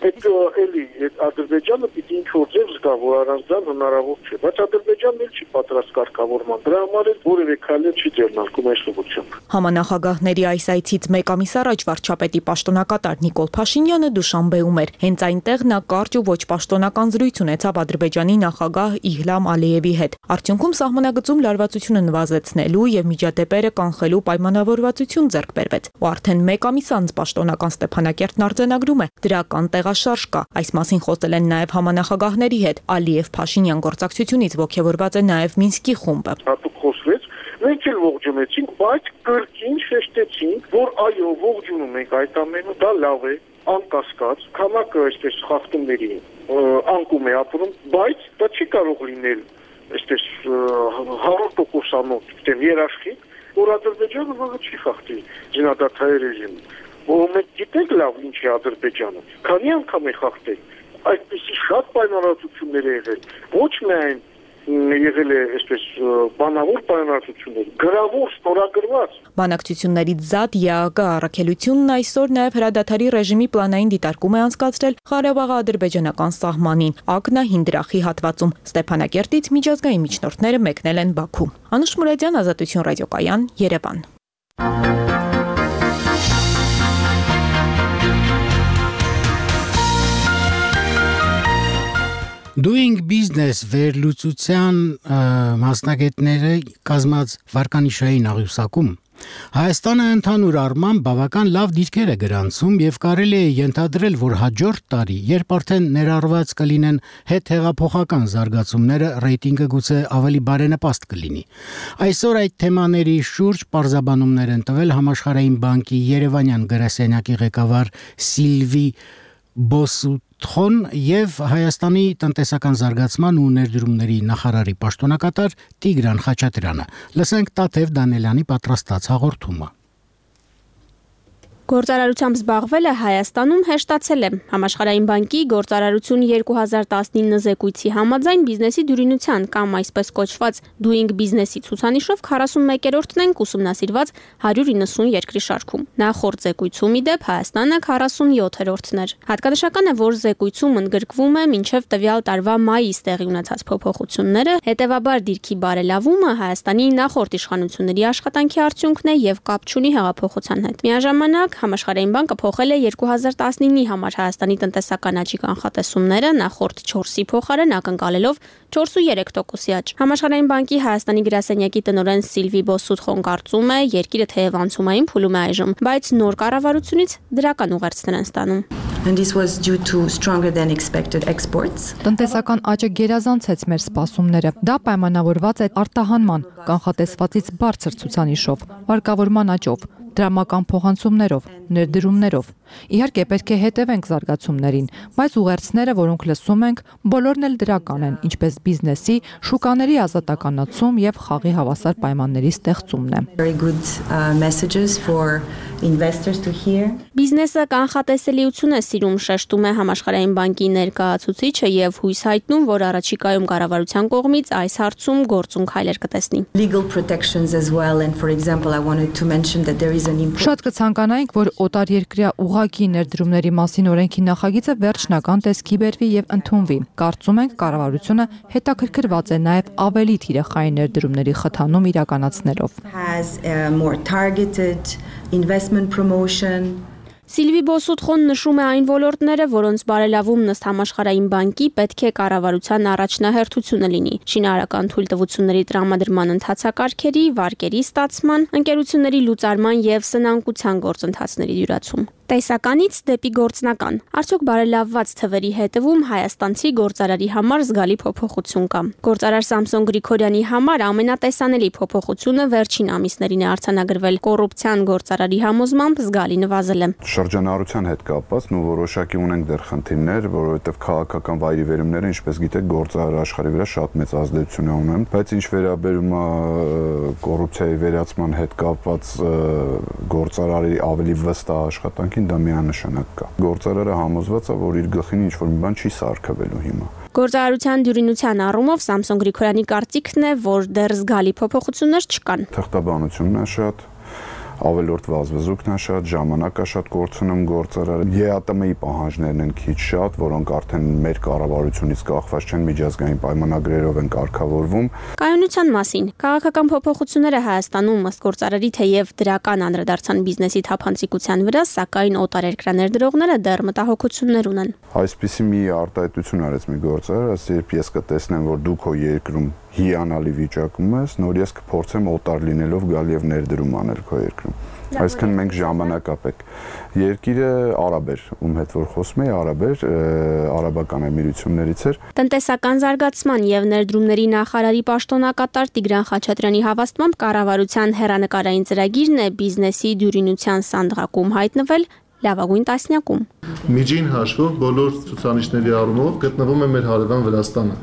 N: Այդ էլի Ադրբեջանը պիտի ինչ-որ ձև զգա, որ առանց դա հնարավոր չէ, բայց Ադրբեջանն էլ չի պատրաստ կարգավորման, դրա համար էլ որևէ քայլ չի ձեռնարկում այս ուղղությամբ։
M: Համանախագահների այս այցից մեկ ամիս առաջ վարչապետի պաշտոնակատար Նիկոլ Փաշինյանը Դուշանբեում էր։ Հենց այնտեղ նա կարճ ու ոչ պաշտոնական զրույց ունեցավ Ադրբեջանի նախագահ Իհլամ Ալիևի հետ։ Արդյունքում սահմանագծում լարվածությունը նվազեցնելու եւ միջադեպերը կանխելու պայմանավորվածություն ձեռք բերվեց։ Ու արդեն մեկ ամիս անց պաշտոնական Ստեփանակերտն արձանագրում է դրական տեղաշարժ կա։ Այս մասին խոսել են նաև համանախագահների հետ։ Ալիև-Փաշինյան գործակցությունից ողջավորված է նաև Մինսկի խումբը։
N: Հատուկ խոսվեց, մենք էլ ողջունեցինք, բայց կրկին շեշտեցինք, որ այո, ողջունում ենք այդ ամենը, դա լավ է, անկասկած, քանակը այսպես խախտումների անկում է ապրում, բայց դա չի կարող լինել այսպես 100%-անոց, դեմ երաշխիք, որ Ադրբեջանը վաղը չի խախտի զինադադարի ռեժիմը։ Որ մենք գիտենք լավ ինչ է Ադրբեջանը, քանի անգամ է խախտել, այդպիսի շատ պայմանավորվածություններ է եղել, ոչ միայն եղել է այսպես բանավոր պայմանավորություններ, գրավոր ստորագրված։
M: Բանակցություններից զատ ԵԱԿ առաքելությունն այսօր նաև հրադադարի ռեժիմի պլանային դիտարկում է անցկացրել Ղարաբաղի ադրբեջանական սահմանին, Ակնահին դրախի հատվածում։ Ստեփանակերտից միջազգային միջնորդները մեկնել են Բաքու։ Անուշ Մուրադյան, Ազատություն ռադիոկայան, Երևան։
A: Doing Business վերլուծության մասնագետները կազմած վարկանիշային աղյուսակում Հայաստանը ընդհանուր առմամբ բավական լավ դիրքեր է գրանցում եւ կարելի է ենթադրել, որ հաջորդ տարի, երբ արդեն ներառված կլինեն հետհեղափոխական զարգացումները, ռեյտինգը գուցե ավելի բարենպաստ կլինի։ Այսօր այդ թեմաների շուրջ պարզաբանումներ են տվել Համաշխարհային բանկի Երևանյան գրասենյակի ղեկավար Սիլվի Բոսուտխոն եւ Հայաստանի տնտեսական զարգացման ու ներդրումների նախարարի պաշտոնակատար Տիգրան Խաչատրյանը։ Լսենք Տաթև Դանելյանի պատրաստած հաղորդումը։
K: Գործարարությամբ զբաղվելը Հայաստանում հեշտացել է։ Համաշխարհային բանկի գործարարություն 2019 զեկույցի համաձայն բիզնեսի դյուրինության կամ այսպես կոչված Doing Business-ի ցուցանիշով 41-րդն են ուսումնասիրված 190 երկրի շարքում։ Նախորդ զեկույցում ի դեպ Հայաստանը 47-րդն էր։ Հատկանշական է, որ զեկույցում ընդգրկվում է մինչև տվյալ տարվա մայիս տեղի ունեցած փոփոխությունները, հետևաբար դիրքի բարելավումը Հայաստանի նախորդ իշխանությունների աշխատանքի արդյունքն է եւ կապ չունի հեղափոխության հետ։ Միաժամանակ Համաշխարհային բանկը փոխել է 2019-ի համար Հայաստանի տնտեսական աճի կանխատեսումները նախորդ 4-ի փոխարեն ակնկալելով 4.3%-ի աճ։ Համաշխարհային բանկի Հայաստանի գրասենյակի տնօրեն Սիլվի Բոսուտխոն կարծում է, երկիրը թեև անցումային փուլում է այժմ, բայց նոր կառավարությունից դրական ուղերձներ են ստանում։
O: And this was due to stronger than expected exports.
P: Տնտեսական աճը գերազանցեց մեր սպասումները։ Դա պայմանավորված է արտահանման կանխատեսվածից բարձր ցուցանիշով, վարկավորման աճով, դրամական փոխանցումներով, ներդրումներով։ Իհարկե պետք է հետևենք զարգացումներին, բայց ուղերձները, որոնք լսում ենք, բոլորն էլ դրական են, ինչպես բիզնեսի, շուկաների ազատականացում եւ խաղի հավասար պայմանների ստեղծումն է։
O: Very good messages for investors to hear.
K: Բիզնեսը կանխատեսելիություն է սիրում, շեշտում է Համաշխարհային բանկի ներկայացուցիչը եւ հույս հայտնում, որ առաջիկայում կառավարության կողմից այս հարցում գործուն քայլեր կտեսնի։
O: Legal protections as well, and for example I wanted to mention that there is an
P: Շատ կցանկանայինք, որ օտարերկրյա ուղղակի ներդրումների մասին օրենքի նախագիծը վերջնական տեսքի բերվի եւ ընդունվի։ Կարծում ենք կառավարությունը հետաքրքրված է նաեւ ավելի թիրախային ներդրումների խթանում իրականացնելով։
O: Has more targeted investment promotion.
K: Սիլվի Բոսուտխոն նշում է այն ոլորտները, որոնց բարելավումն ըստ Համաշխարհային բանկի պետք է կառավարության առաջնահերթությունը լինի։ Շինարարական թույլտվությունների տրամադրման ընթացակարգերի, վարկերի ստացման, ընկերությունների լուծարման եւ սնանկության գործընթացների դյուրացում։ Տեսականից դեպի գործնական։ Արդյոք բարելավված թվերի հետևում հայաստանցի գործարարի համար զգալի փոփոխություն կա։ Գործարար Սամսոն Գրիգորյանի համար ամենատեսանելի փոփոխությունը վերջին ամիսներին է արձանագրվել։ Կոռուպցիան գործարարի համոզմամբ զգալի նվազել է։
Q: Շրջանառության հետ կապված ու որոշակի ունենք դեռ խնդիրներ, որովհետև քաղաքական վայրիվերումները, ինչպես գիտեք, գործարար աշխարհի վրա շատ մեծ ազդեցություն ունեն, բայց ինչ վերաբերում է կոռուպցիայի վերացման հետ կապված գործարարի ավելի վստահ աշխատանքին, դա միանշանակ կա։ Գործարարը համոզված է, որ իր գլխին ինչ-որ մի բան չի սարքվելու հիմա։
K: Գործարարության դյուրինության առումով Սամսոն Գրիգորյանի կարծիքն է, որ դեռ զգալի փոփոխություններ չկան։
Q: Թղթաբանությունն է շատ, ավելորդ վազվզուկն է շատ, ժամանակը շատ կորցնում գործարարը։ ԵԱՏՄ-ի պահանջներն են քիչ շատ, որոնք արդեն մեր կառավարությունից կախված չեն, միջազգային պայմանագրերով են կարգավորվում։
K: Կայունության մասին քաղաքական փոփոխությունները Հայաստանում ըստ գործարարի թեև դրական անդրադարձան բիզնեսի թափանցիկության վրա, սակայն օտարերկրաներդրողները դեռ մտահոգություններ ունեն։
Q: Այսպիսի մի արտահայտություն արեց մի գործարար, ասես երբ ես կտեսնեմ, որ դու քո երկրում հիանալի վիճակում ես, նոր ես կփորձեմ օտար լինելով գալ եւ ներդրում անել քո երկրում։ Այսինքն մենք ժամանակ ապեք։ Երկիրը արաբ էր, ում հետ որ խոսում էի, արաբ էր, արաբական էմիրություններից էր։
K: Տնտեսական զարգացման եւ ներդրումների նախարարի պաշտոնակատար Տիգրան Խաչատրյանի հավաստմամբ կառավարության հեռանկարային ծրագիրն է բիզնեսի դյուրինության սանդղակում հայտնվել լավագույն տասնյակում։
R: Միջին հաշվով բոլոր ցուցանիշների առումով գտնվում է մեր հարևան Վրաստանը։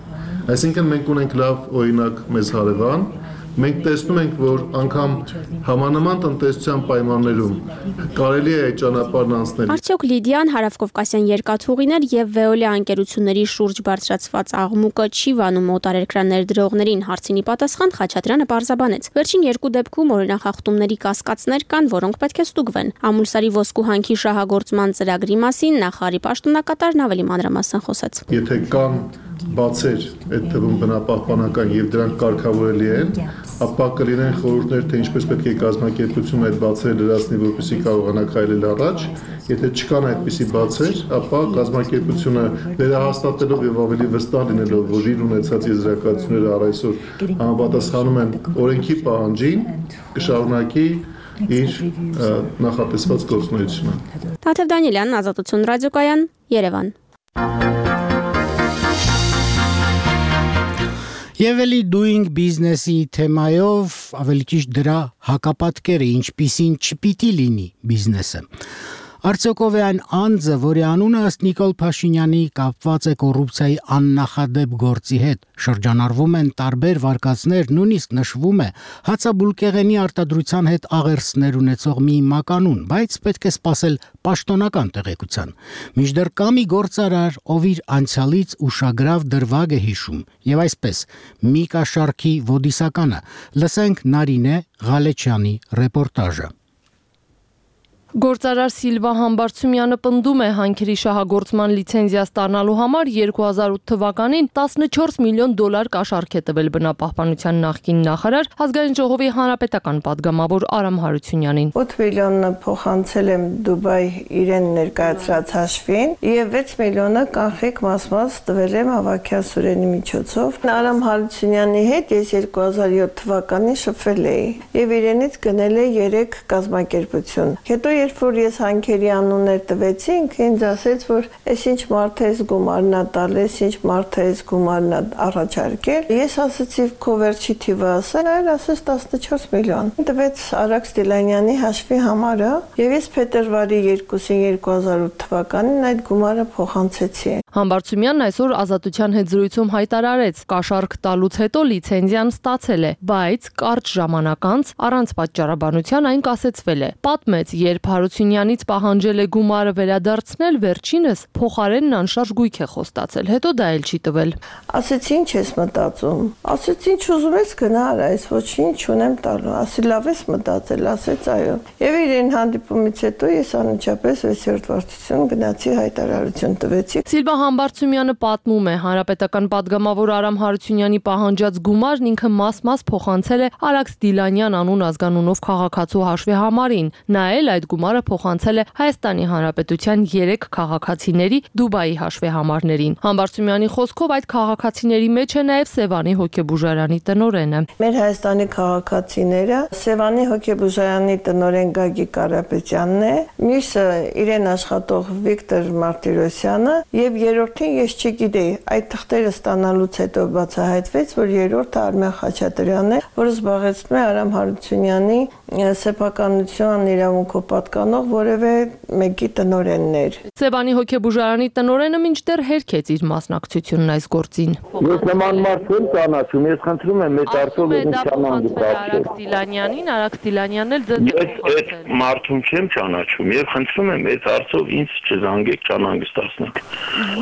R: Այսինքն մենք ունենք լավ օրինակ մեզ հարևան, մենք տեսնում ենք, որ անգամ համանման տնտեսության պայմաններում կարելի է այդ ճանապարհն անցնել։
S: Արդյոք Լիդիան հարավկովկասյան երկաթուղիներ եւ Veolia անկերությունների շուրջ բարձրացված աղմուկը չի վանում օտարերկրյա ներդրողներին, հարցինի պատասխան Խաչատրյանը պարզաբանեց։ Վերջին երկու դեպքում օրինախախտումների կասկածներ կան, որոնք պետք է ստուգվեն։ Ամուլսարի ոսկու հանքի շահագործման ծրագրի մասին նախարարի պաշտոնակատարն ավելի մանրամասն խոսեց։
R: Եթե կան բացեր այդ թվում բնապահպանական եւ դրանք կարգավորելի են, ապա կլինեն խորհուրդներ, թե ինչպես պետք է կազմակերպությունը այդ բացերը լրացնի, որպեսզի կարողանա քայլել առաջ։ Եթե չկան այդպիսի բացեր, ապա կազմակերպությունը վերահաստատելով եւ ավելի վստահ լինելով, որ իր ունեցած եզրակացությունները առ այսօր համապատասխանում են օրենքի պահանջին, կշարունակի իր նախատեսված գործունեությունը։
S: Թաթև Դանիելյան, Ազատություն ռադիոկայան, Երևան։
A: Եվ էլի doing business-ի թեմայով, ավելի ճիշտ դրա հակապատկերը, ինչպիսին չպիտի լինի բիզնեսը։ Արդյոք ով է այն անձը, որի անունը ըստ Նիկոլ Փաշինյանի կապված է կոռուպցիայի աննախադեպ գործի հետ, շրջանառվում են տարբեր վարկածներ, նույնիսկ նշվում է հացաբուլկեղենի արտադրության հետ աղերսներ ունեցող մի մականուն, բայց պետք է սպասել պաշտոնական տեղեկության։ Մինչդեռ կա մի գործարար, ով իր անցյալից ուշագրավ դրվագ է հիշում, եւ այսպես մի կաշառքի ոդիսականը, լսենք Նարինե Ղալեչյանի ռեպորտաժը։
T: Գործարար Սիլվա Համբարձումյանը պնդում է հանքերի շահագործման լիցենզիա ստանալու համար 2008 թվականին 14 միլիոն դոլար կաշառք է տվել բնապահպանության նախկին նախարար Ազգային ժողովի հանրապետական падգամավոր Արամ Հարությունյանին։
U: 8 միլիոնը փոխանցել եմ Դուբայ իրեն ներկայացրած հաշվին եւ 6 միլիոնը կանխիկ մաս տվել եմ Ավագյան Սուրենի միջոցով։ Արամ Հարությունյանի հետ ես 2007 թվականին շփվել էի եւ իրենից գնել է 3 կազմակերպություն։ Հետո երբ որ ես հանքերի անուններ տվեցինք, ինձ ասեց, որ այս ինչ մարդ է գումարն է տալիս, ինչ մարդ է գումարն առաջարկել։ Ես ասացի քո վերջի թիվը ասել, այլ ասեց 14 միլիոն։ Տվեց Արաքս Դիլանյանի հաշվի համարը, եւ ես փետրվարի 2-ին 2008 թվականին այդ գումարը փոխանցեցի։
T: Համբարձումյանն այսօր Ազատության հետ զրույցում հայտարարեց, կաշառք տալուց հետո լիցենզիան ստացել է, բայց կարճ ժամանակ անց առանց պատճառաբանության այն կասեցվել է։ Պատմեց, երբ Հարությունյանից պահանջել է գումարը վերադարձնել, վերջինս փոխարենն անշարժ գույք է խոստացել, հետո դա էլ չի տվել։
U: Ասեցի ինչ ես մտածում։ Ասեցի ինչ ուզում ես գնա արա, այս ոչինչ չունեմ տալու։ Ասի լավ ես մտածել, ասեց այո։ Եվ իրեն հանդիպումից հետո ես անմիջապես 6-րդ վարչություն գնացի հայտարարություն տվեցի։
T: Սիլվա Համբարձումյանը պատմում է, հանրապետական падգամավոր Արամ Հարությունյանի պահանջած գումարն ինքը մաս-մաս փոխանցել է Արաքս Դիլանյան անուն ազգանունով քաղաքացու հաշվի համարին։ Նա էլ այդ գումարը փոխանցել է Հայաստանի Հանրապետության 3 քաղաքացիների Դուբայի հաշվի համարներին։ Համբարձումյանի խոսքով այդ քաղաքացիների մեջ է նաև Սևանի հոգեբուժարանի տնօրենը։
U: Մեր Հայաստանի քաղաքացիները Սևանի հոգեբուժարանի տնօրեն Գագիկ Կարապետյանն է, մյուսը իրեն աշխատող Վիկտոր Մարտիրոսյանը եւ երրորդին ես չգիտեի։ Այդ թղթերը ստանալուց հետո բացահայտվեց, որ երրորդը Արմեն Խաչատրյանն է, որը զբաղեցնում է Արամ Հարությունյանի սեփականության իրավունքով պատկանող որևէ մեկի տնօրեններ։
T: Սևանի հոգեբուժարանի տնօրենը մինչդեռ հերքեց իր մասնակցությունն այս գործին։
V: Ես նման մարդ չեմ ճանաչում, ես խնդրում եմ այդ արդյոք ինքնանալ
T: Արաքս Դիլանյանին, Արաքս Դիլանյանն էլ ձեզ
V: այդ մարդուն չեմ ճանաչում եւ խնդրում եմ այդ արդյոք ինձ չզանգեք չանհանգստացնեք։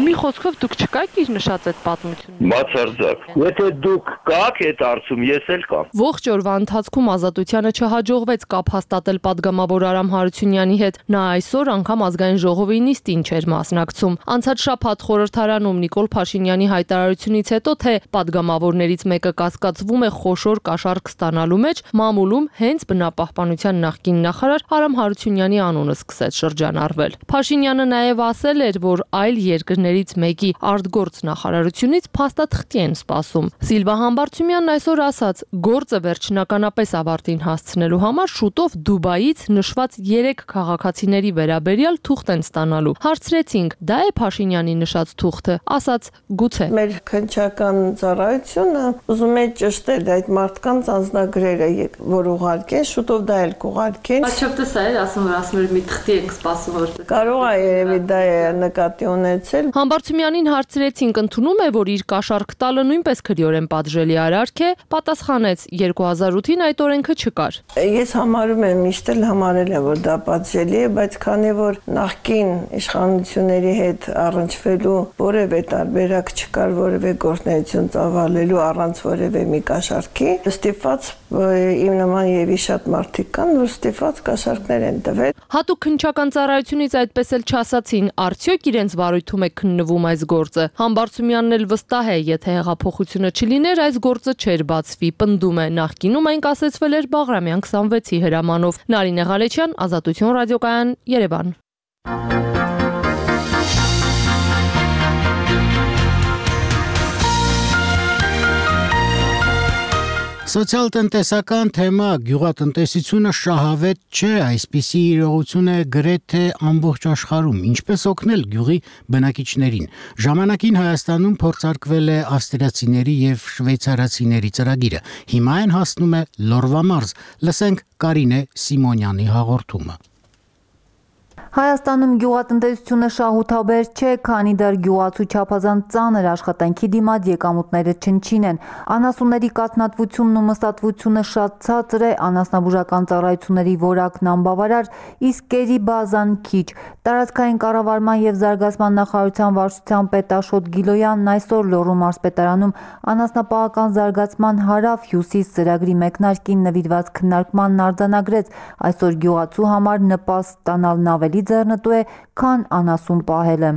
T: Մի խոսքով դուք չկաք իր նշած այդ պատմությունը։
V: Բացարձակ։ Եթե դուք կաք այդ արդյոք ես էլ կամ։
T: Ողջ օրվա ընթացքում Ազատությանը չհաջողվեց կապ հաստատել падգամավոր Արամ Հարությունյանի հետ։ Նա այսօր անգամ Ազգային ժողովի նիստին չէր մասնակցում։ Անցած շաբաթ խորհրդարանում Նիկոլ Փաշինյանի հայտարարությունից հետո, թե падգամավորներից մեկը կասկածվում է խոշոր կաշառք ստանալու մեջ, մամուլում հենց բնապահպանության նախկին նախարար Արամ Հարությունյանի անունը սկսեց շրջանառվել։ Փաշինյանը նաև ասել էր, որ այլ երկրներից մեկի արտգործ նախարարությունից փաստաթղթի են սպասում։ Սիլվա Համբարձումյանն այսօր ասաց, գործը վերջնականապես ավարտին հասցնելու համար շուտով Դուբայից նշված 3 քաղաքացիների վերաբերյալ թուղթ են ստանալու։ Հարցրեցինք, դա է Փաշինյանի նշած թուղթը, ասաց գուցե։
U: Մեր քննչական ծառայությունը ուզում է ճշտել այդ մարդկանց անձնագրերը, որ ուղարկեն, շուտով դա էլ կուղարկեն։
T: Աչոպտես է, ասում որ մի թղթի ենք սպասում որ։
U: Կարող է երևի դա է նկատի ունեցել։
T: Համբարձումյանին հարցրեցինք, ընդունում է, որ իր կաշառք տալը նույնպես քրեորեն պատժելի արարք է, պատասխանեց 2008-ին այդ օրենքը չկար։
U: Ես համարում եմ, միշտ էլ համարել եմ, որ դա պատժելի է, բայց քանի որ նախկին իշխանությունների հետ առնչվելու որևէ տարբերակ չկար, որևէ գործունեություն ծավալելու առանց որևէ մի կաշառքի, ստիպված իմ նման եւի շատ մարդիկ կան, որ ստիպված կաշառքներ են տվել։
T: Հատուկ քննչական ծառայությունից այդպես էլ չասացին, արդյոք իրենց վարույթում է քննվում այս գործը։ Համբարձումյանն էլ վստահ է, եթե հեղափոխությունը չլիներ, այս գործը չէր բացվի, պնդում է։ Նախկինում այն կասեցվել էր Բաղրամյան 26-ի հրամանով։ Նարինե Ղալեչյան, Ազատություն ռադիոկայան, Երևան։
A: Սոցիալ-տնտեսական թեմա գյուղատնտեսությունը շահավետ չէ, այսպիսի իրողություն է գրեթե ամբողջ աշխարհում, ինչպես օգնել գյուղի բնակիչներին։ Ժամանակին Հայաստանում փորձարկվել է ավստրիացիների եւ շվեյցարացիների ծրագիրը։ Հիմա այն հասնում է Լորվա մարզ։ Լսենք Կարինե Սիմոնյանի հաղորդումը։
B: Հայաստանում գյուղատնտեսությունը շահութաբեր չէ, քանի դեռ գյուղացու չափազանց ծանր աշխատանքի դիմաց եկամուտները չնչին են։ Անասունների կաթնատվությունն ու մստատվությունը շատ ցածր է, անասնաբուժական ծառայությունների որակն անբավարար, իսկ կերի բազան քիչ։ Տարածքային կառավարման եւ զարգացման նախարարության վարչության պետ Աշոտ Գիլոյանն այսօր Լոռու մարզպետարանում անասնապահական զարգացման հարավ-հյուսիս ծրագրի մեկնարկին նվիրված քննարկմանն արձանագրեց։ Այսօր գյուղացու համար նպաստ ստանալն ավելի ձեռնտու է, քան անասուն պահելը։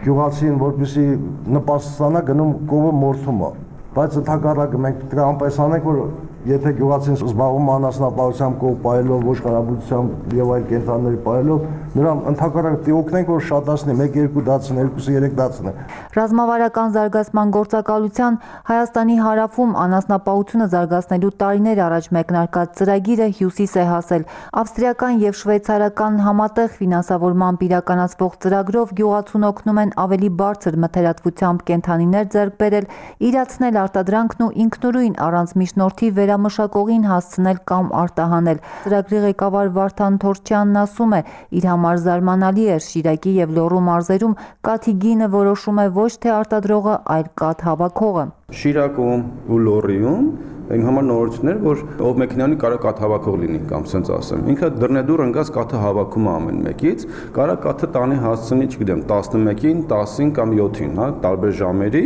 D: Գյուղացին, որպեսզի նպաստ ստանա, գնում կովը մորթում է, բայց ընդհակառակը մենք պետք է անպես անենք, որ եթե գյուղացին զբաղվում անասնապահությամբ, կով պահելով, ոչխարաբուծությամբ եւ այլ կենտրոնների պահելով, նրան ընդհակառակը պետք է օգնենք, որ շատացնի, 1-2 դասն, 2-3 դասն։
B: Ռազմավարական զարգացման գործակալության Հայաստանի հարավում անասնապահությունը զարգացնելու տարիներ առաջ մեկնարկած ծրագիրը հյուսիս է հասել։ Ավստրիական եւ շվեյցարական համատեղ ֆինանսավորմամբ իրականացվող ծրագրով գյուղացուն օգնում են ավելի բարձր մթերատվությամբ կենդանիներ ձեռք բերել, իրացնել արտադրանքն ու ինքնուրույն առանց միջնորդի վերամշակողին հասցնել կամ արտահանել։ Ծրագրի ղեկավար Վարդան Թորչյանն ասում է, իր համար զարմանալի էր Շիրակի եւ Լոռու մարզերում կաթի գինը որոշում է ոչ թե արտադրողը, այլ կաթ հավաքողը։
J: Շիրակում ու Լոռիում այն համար նորություններ, որ ով մեքենանի կարող կաթ հավաքող լինի կամ ասենց ասեմ։ Ինքը դռնեդուր ընկած կաթը հավաքում է ամեն մեկից, կարող կաթը տանի հասցնի, չգիտեմ, 11-ին, 10-ին կամ 7-ին, հա, տարբեր ժամերի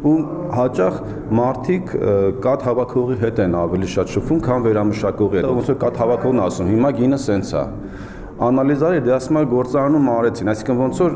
J: ու հաճախ մարդիկ կաթ հավաքողի հետ են ավելի շատ շփվում, քան վերամշակողի հետ։ Ոնց որ կաթ հավաքողն ասում, հիմա գինը սենց է։ Անալիզարի դասմալ գործարանում արեցին, այսինքն ոնց որ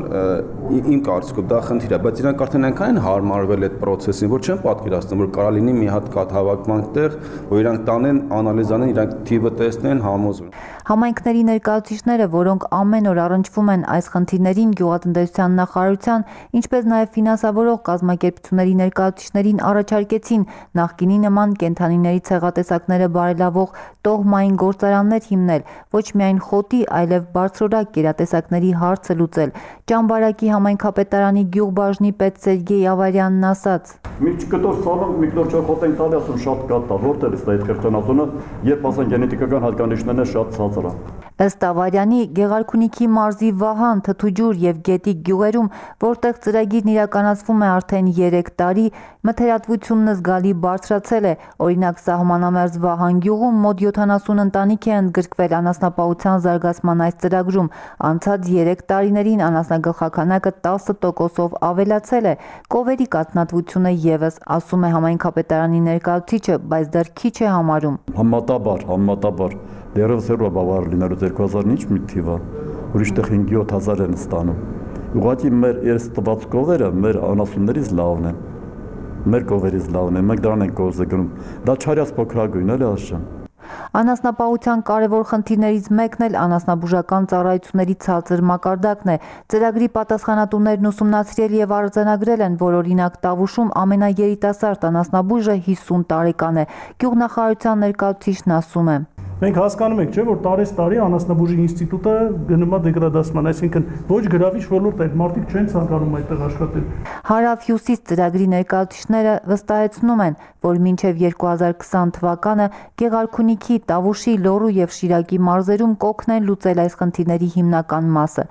J: իմ կարծիքով դա խնդիր է, բայց իրանք արդեն այնքան են հարմարվել այդ process-ին, որ չեն պատկերացնում, որ կարա լինի մի հատ կաթ հավաքման տեղ, որ իրանք տանեն, անալիզանեն, իրանք թիվը տեսնեն, համոզվեն։
B: Համայնքների ներկայացուցիչները, որոնք ամեն օր առնչվում են այս խնդիրներին գյուղատնտեսության նախարարության, ինչպես նաև ֆինանսավորող կազմակերպությունների ներկայացուցիչներին առաջարկեցին նախկինի նման կենդանիների ցեղատեսակները բարելավող տոհմային գործարաններ հիմնել, ոչ միայն խոտի, այլև բարձրորակ կերատեսակների հարցը լուծել։ Ճամբարակի համայնքապետարանի գյուղբաժնի պետ Սերգեյ Ավարյանն ասաց.
W: Մի կտոր սալոն մի կտոր չոխոտ են տալի, ասում շատ կատա, որտեղ է այդ կրկնածությունը, երբ ասեն գենետիկական հատկանիշներն շատ ցածր է։
B: Ըստ Ավարյանի, Գեղարքունիքի մարզի Վահան, Թթուջուր եւ Գետիկ գյուղերում, որտեղ ծրագիրն իրականացվում է արդեն 3 տարի, մթերատվությունն զգալի բարձրացել է։ Օրինակ, սահմանամերձ Վահան գյուղում մոտ 70 ընտանիք է ընդգրկվել անասնապահության զարգացման այս ծրագրում։ Անցած 3 տարիներին անասնագլխաքանակը 10%-ով ավելացել է։ Կովերի կաթնատվությունը եւս, ասում է համայնքապետարանի ներկայացուցիչը, բայց դեռ քիչ է համարում։
W: Համատաբար դերևս էր բավարար լինելու 2000-ից մի թիվը, ուրիշ տեղ 5-7000 են ստանում։ Ուղղակի մեր այս տված կովերը մեր անասուններից լավն են, մեր կովերից լավն են, մենք դրան ենք կոզը գնում։ Դա չարյաց փոքրագույն էլի ասեմ։
B: Անասնապահության կարևոր խնդիրներից մեկն էլ անասնաբուժական ծառայությունների ցածր մակարդակն է։ Ծրագրի պատասխանատուներն ուսումնասիրել եւ արձանագրել են, որ օրինակ Տավուշում ամենաերիտասարդ անասնաբույժը 50 տարեկան է։ Գյուղնախարարության ներկայացուցիչն ասում է.
C: Մենք հասկանում ենք, չէ, որ տարի անասնաբուժի ինստիտուտը գնում է դեգրադացման, այսինքն ոչ գրավիչ ոլորտ է, մարդիկ չեն ցանկանում այդտեղ աշխատել։
B: Հարավ-հյուսիս ծրագրի ներկայացուցիչները վստահեցնում են, որ մինչև 2020 թվականը Գեղարքունիքի, Տավուշի, Լոռու եւ Շիրակի մարզերում կօգնեն լուծել այս խնդիրների հիմնական մասը։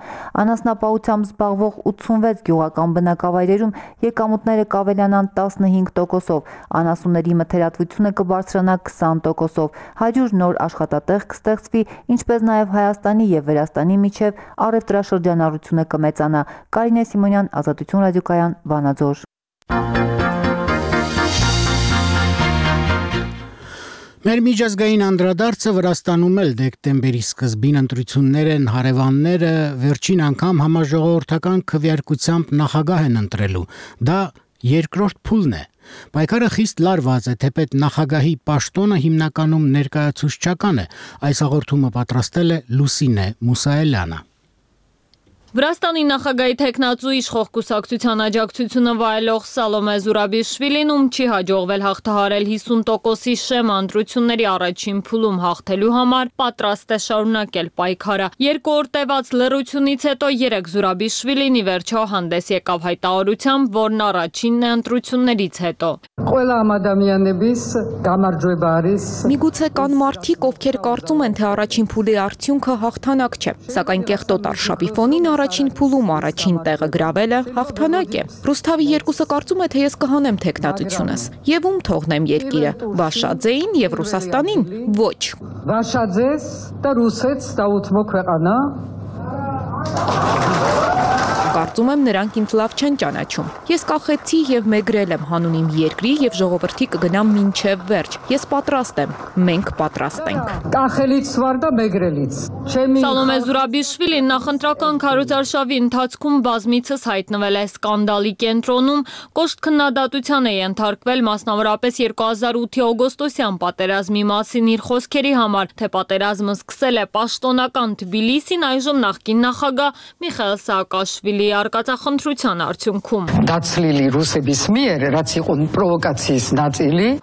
B: Անասնապահությամբ զբաղվող 86 գյուղական բնակավայրերում եկամուտները կավելանան 15%-ով, անասունների մթերատվությունը կբարձրանա 20%-ով, 100 նոր աշխատատեղ կստեղծվի, ինչպես նաեւ Հայաստանի եւ Վրաստանի միջև առևտրաշրջանառությունը կմեծանա։ Կարինե Սիմոնյան, Ազատություն ռադիոկայան, Վանաձոր։
A: Մեր միջազգային անդրադարձը Վրաստանում էլ դեկտեմբերի սկզբին ընտրություններ են, հարևանները վերջին անգամ համաժողովրդական քվեարկությամբ նախագահ են ընտրելու։ Դա երկրորդ փուլն է։ Պայքարը խիստ լարված է, թեպետ նախագահի պաշտոնը հիմնականում ներկայացուցչական է։ Այս հաղորդումը պատրաստել է Լուսինե Մուսայելյանը։
H: Վրաստանի նախագահի թեկնածու իշխող կուսակցության աջակցությունը վայելող Սալոմե Զուրաբիշվիլին, ում չի հաջողվել հաղթահարել 50%-ի շեմ ընտրությունների առաջին փուլում հաղթելու համար, պատրաստ է շարունակել պայքարը։ 2 օր տևած լռությունից հետո 3 Զուրաբիշվիլին ի վերջո հանդես եկավ հայտարարությամբ, որն առաջինն է ընտրություններից հետո։
M: Միգուցե կան մարդիկ, ովքեր կարծում են, թե առաջին փուլի արդյունքը հաղթանակ չէ, սակայն կեղտոտ արշավի ֆոնին առաջին փուլում առաջին տեղը գրավելը հաղթանակ է։ Ռուսթավի երկուսը կարծում է, թե ես կհանեմ թեկնածությունս, եւ ում թողնեմ երկիրը՝ Վաշաձեին եւ Ռուսաստանին։ Ոչ։
E: Վաշաձես, դա ռուսեց, դա ութմո քվեყանա։
M: Կարծում եմ նրանք ինձ լավ չեն ճանաչում։ Ես կախեցի եւ մեգրել եմ հանուն իմ երկրի եւ ժողովրդի կգնամ մինչեւ վերջ։ Ես պատրաստ եմ, մենք պատրաստ ենք։
E: Կախելից վարդա մեգրելից։
H: Սալոմե Զուրաբիշվիլին նախընտրական քարոզարշավի ընթացքում բազմիցս հայտնվել է սկանդալի կենտրոնում, կոշտ քննադատության է ենթարկվել մասնավորապես 2008-ի օգոստոսյան պատերազմի մասին իր խոսքերի համար, թե պատերազմը սկսել է պաշտոնական Թբիլիսին, այժմ նախկին նախագահ Միխայիլ Սաակաշվիլի արկածախնդրության արդյունքում։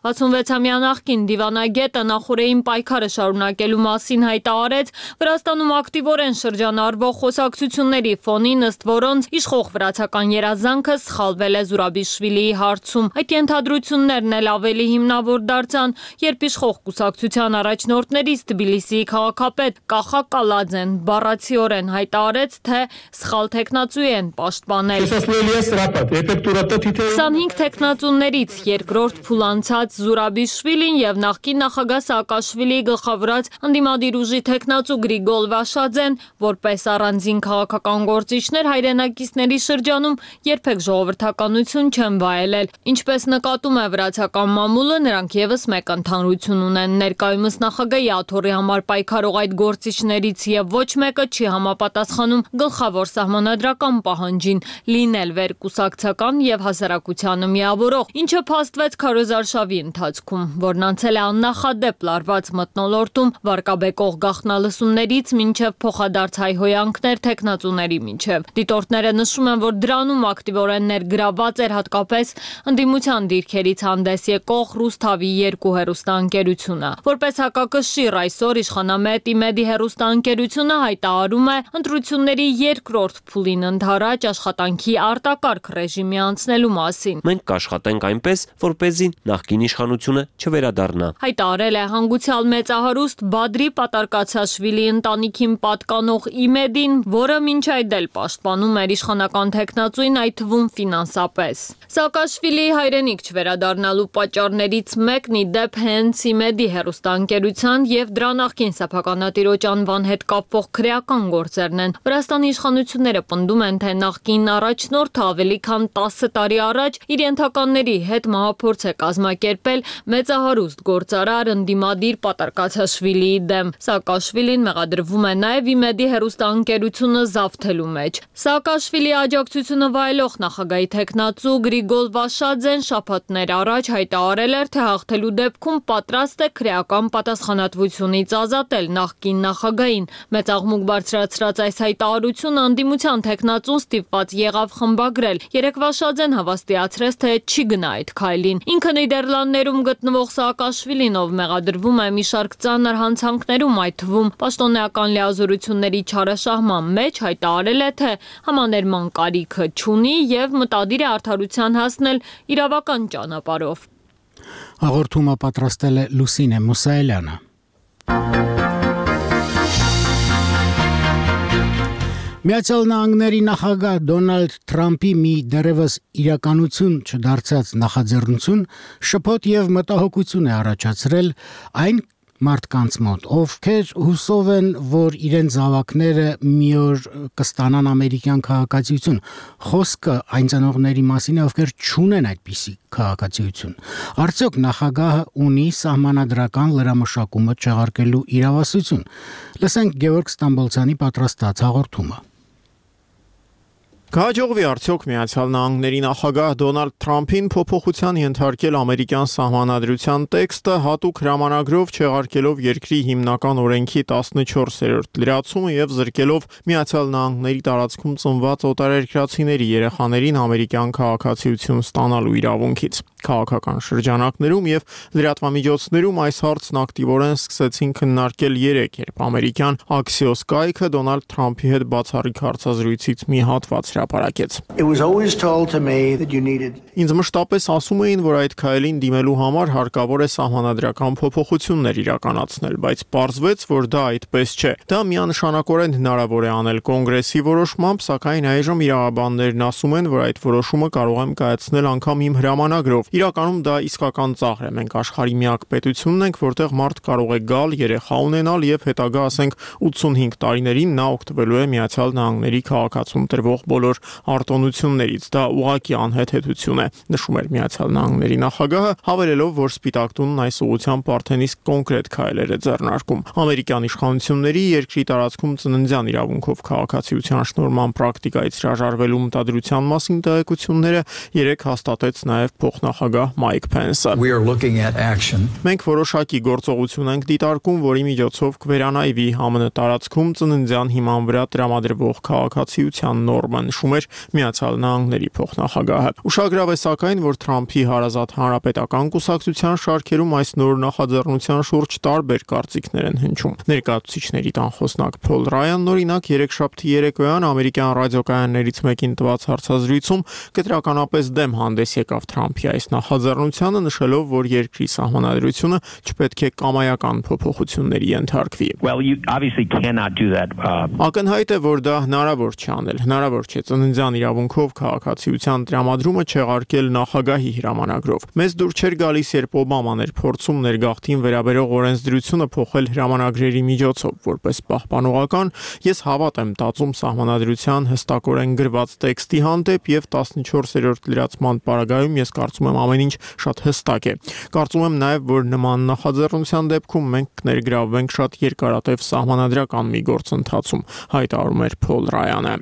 H: 66-ամյա նախկին դիվանագետը նախորդային պայքարը շարունակելու մասին հայտարարեց Վրաստանում ակտիվորեն շրջանառվող խոսակցությունների ֆոնին, ըստ որոնց իշխող վրացական երազանքը սխալվել է Զուրաբիշվիլիի հարցում։ Այդ ենթադրություններն էլ ավելի հիմնավոր դարձան, երբ իշխող կուսակցության առաջնորդներից Թբիլիսիի քաղաքապետ Կախա Կալաձեն բառացիորեն հայտարարեց, թե սխալ թեկնածու են պաշտպանել։ 25 թեկնածուներից երկրորդ փուլ անցած Զուրաբիշվիլին եւ նախկին նախագահ Սաակաշվիլիի գլխավորած ընդդիմադիր ուժի թեկնածու Գրիգոլ Վաշաձեն, որպես առանձին քաղաքական գործիչներ հայրենակիցների շրջանում երբեք ժողովրդականություն չեն վայելել։ Ինչպես նկատում է վրացական մամուլը, նրանք եւս մեկ ընդհանրություն ունեն։ Ներկայումս նախագահի աթոռի համար պայքարող այդ գործիչներից եւ ոչ մեկը չի համապատասխանում գլխավոր սահմանադրական պահանջին՝ լինել վերկուսակցական եւ հասարակությանը միավորող, ինչը փաստվեց քարոզարշավի ընթացքում, որն անցել է աննախադեպ լարված մթնոլորտում վարկաբեկող գաղտնալսումներից մինչև փոխադարձ հայհոյանքներ թեկնածուների միջև։ Դիտորդները նշում են, որ դրանում ակտիվորեն ներգրավված էր հատկապես ընդդիմության դիրքերից հանդես եկող Ռուսթավի 2 հեռուստաընկերությունը։ Որպես հակակշիռ այսօր իշխանամետ ԻՄԵԴ-ի հեռուստաընկերությունը հայտարարում է ընտրությունների երկրորդ փուլին ընդառաջ աշխատանքի արտակարգ ռեժիմի անցնելու մասին։
G: Մենք կաշխատենք այնպես, որպեսզի նախկին իշխանությունը չվերադառնա։
H: Հայտարարել է հանգուցյալ մեծահարուստ Բադրի Պատարկացաշվիլի ընտանիքին պատկանող ԻՄԵԴ-ին, որը մինչ այդ էլ պաշտպանում էր իշխանական թեկնածուին, այդ թվում ֆինանսապես։ Սաակաշվիլիի հայրենիք չվերադառնալու պատճառներից մեկն ի դեպ հենց ԻՄԵԴ-ի հեռուստաընկերության եւ դրա նախկին սեփականատիրոջ անվան հետ կապվող քրեական գործերն են։ Վրաստանի իշխանությունները պնդում են, թե նախկին առաջնորդը ավելի քան 10 տարի առաջ իր ենթականների հետ մահափորձ է կազմակերպել մեծահարուստ գործարար ընդդիմադիր Պատարկացաշվիլիի դեմ։ Սաակաշվիլին մեղադրվում է նաև ԻՄԵԴ-ի հեռուստաընկերությունը զավթելու մեջ։ Սաակաշվիլիի աջակցությունը վայելող նախագահի թեկնածու Գրիգոլ Վաշաձեն շաբաթներ առաջ հայտարարել էր, թե հաղթելու դեպքում պատրաստ է քրեական պատասխանատվությունից ազատել նախկին նախագահին։ Մեծ աղմուկ բարձրացրած այս հայտարարությունը ընդդիմության թեկնածու
F: գնացուն ստիպված եղավ խմբագրել։ Երեկվա Շադեն հավաստիացրեց, թե չի գնա այդ քայլին։ Ինքը Նիդերլանդներում գտնվող Սաակաշվիլին, ով մեղադրվում է մի շարք ծանր հանցանքներում, այդ թվում պաշտոնեական լիազորությունների չարաշահման մեջ, հայտարարել է, թե համաներման կարիքը չունի եւ մտադիր է արդարության հասնել իրավական ճանապարհով։
A: Հաղորդումը պատրաստել է Լուսինե Մուսայելյանը։ Միացյալ Նահանգների նախագահ Դոնալդ Թրամփի մի դեռևս իրականություն չդարձած նախաձեռնություն շփոթ եւ մտահոգություն է առաջացրել այն մարդկանց մոտ, ովքեր հուսով են, որ իրենց զավակները մի օր կստանան ամերիկյան քաղաքացիություն։ Խոսքը այն ծնողների մասին է, ովքեր չունեն այդպիսի քաղաքացիություն։ Արդյոք նախագահը ունի սահմանադրական լրամշակումը չեղարկելու իրավասություն։ Լսենք Գևորգ Ստամբոլցյանի պատրաստած հաղորդումը։
I: Կհաջողվի արդյոք Միացյալ Նահանգների նախագահ Դոնալդ Թրամփին փոփոխության ենթարկել ամերիկյան սահմանադրության տեքստը հատուկ հրամանագրով չեղարկելով երկրի հիմնական օրենքի 14-րդ լրացումը եւ զրկելով Միացյալ Նահանգների տարածքում ծնված օտարերկրացիների երեխաներին ամերիկյան քաղաքացիություն ստանալու իրավունքից։ Քաղաքական շրջանակներում եւ լրատվամիջոցներում այս հարցն ակտիվորեն սկսեցին քննարկել երեկ, երբ ամերիկյան Axios կայքը Դոնալդ Թրամփի հետ բացառիկ հարցազրույցից մի հատված հրապարակեց։ Ինձ մշտապես ասում էին, որ այդ քայլին դիմելու համար հարկավոր է սահմանադրական փոփոխություններ իրականացնել, բայց պարզվեց, որ դա այդպես չէ։ Դա միանշանակորեն հնարավոր է անել կոնգրեսի որոշմամբ, սակայն այժմ իրավաբաններն ասում են, որ այդ որոշումը կարող եմ կայացնել անգամ իմ հրամանագրով։ Իրականում դա իսկական ծաղր է։ Մենք աշխարհի միակ պետությունն ենք, որտեղ մարդ կարող է գալ, երեխա ունենալ եւ հետագա, ասենք, 85 տարիներին նա օգտվելու է Միացյալ Նահանգների քաղաքացում տրվող բոլոր արտոնություններից։ Դա ուղղակի անհեթեթություն է, նշում էր Միացյալ Նահանգների նախագահը, հավելելով, որ Սպիտակ տունն այս ուղղությամբ արդեն իսկ կոնկրետ քայլեր է ձեռնարկում։ Ամերիկյան իշխանությունների երկրի տարածքում ծննդյան իրավունքով քաղաքացիության շնորհման պրակտիկայից հրաժարվելու մտադրության մասին տեղեկությունները երեք հաստատեց նաեւ փոխնախագահ Մայք Փենսը։ Մենք որոշակի գործողություն ենք դիտարկում, որի միջոցով կվերանայվի ԱՄՆ տարածքում ծննդյան հիման վրա տրամադրվող քաղաքացիության նորմը, նշում էր Միացյալ Նահանգների փոխնախագահը։ Ուշագրավ է սակայն, որ Թրամփի հարազատ հանրապետական կուսակցության շարքերում այս նոր նախաձեռնության շուրջ տարբեր կարծիքներ են հնչում։ Ներկայացուցիչների տանխոսնակ Փոլ Ռայանն օրինակ երեքշաբթի երեկոյան ամերիկյան ռադիոկայաններից մեկին տված հարցազրույցում կտրականապես դեմ հանդես եկավ Թրամփի այս նախաձեռնությանը, նշելով, որ երկրի սահմանադրությունը չպետք է կամայական փոփոխությունների ենթարկվի։ Ակնհայտ է, որ դա հնարավոր չի անել։ Հնարավոր չէ ծննդյան իրավունքով քաղաքացիության տրամադրումը չեղարկել նախագահի հրամանագրով։ Մեզ դուր չէր գալիս, երբ Օբաման էր փորձում ներգաղթին վերաբերող օրենսդրությունը փոխել հրամանագրերի միջոցով, որպես պահպանողական, ես հավատ եմ տածում սահմանադրության հստակորեն գրված տեքստի հանդեպ եւ 14-րդ լրացման պարագայում ես կարծում եմ ամեն ինչ շատ հստակ է։ Կարծում եմ նաև, որ նման նախաձեռնության դեպքում մենք կներգրավվենք շատ երկարատև սահմանադրական մի գործընթացում, հայտարարում էր Փոլ Ռայանը։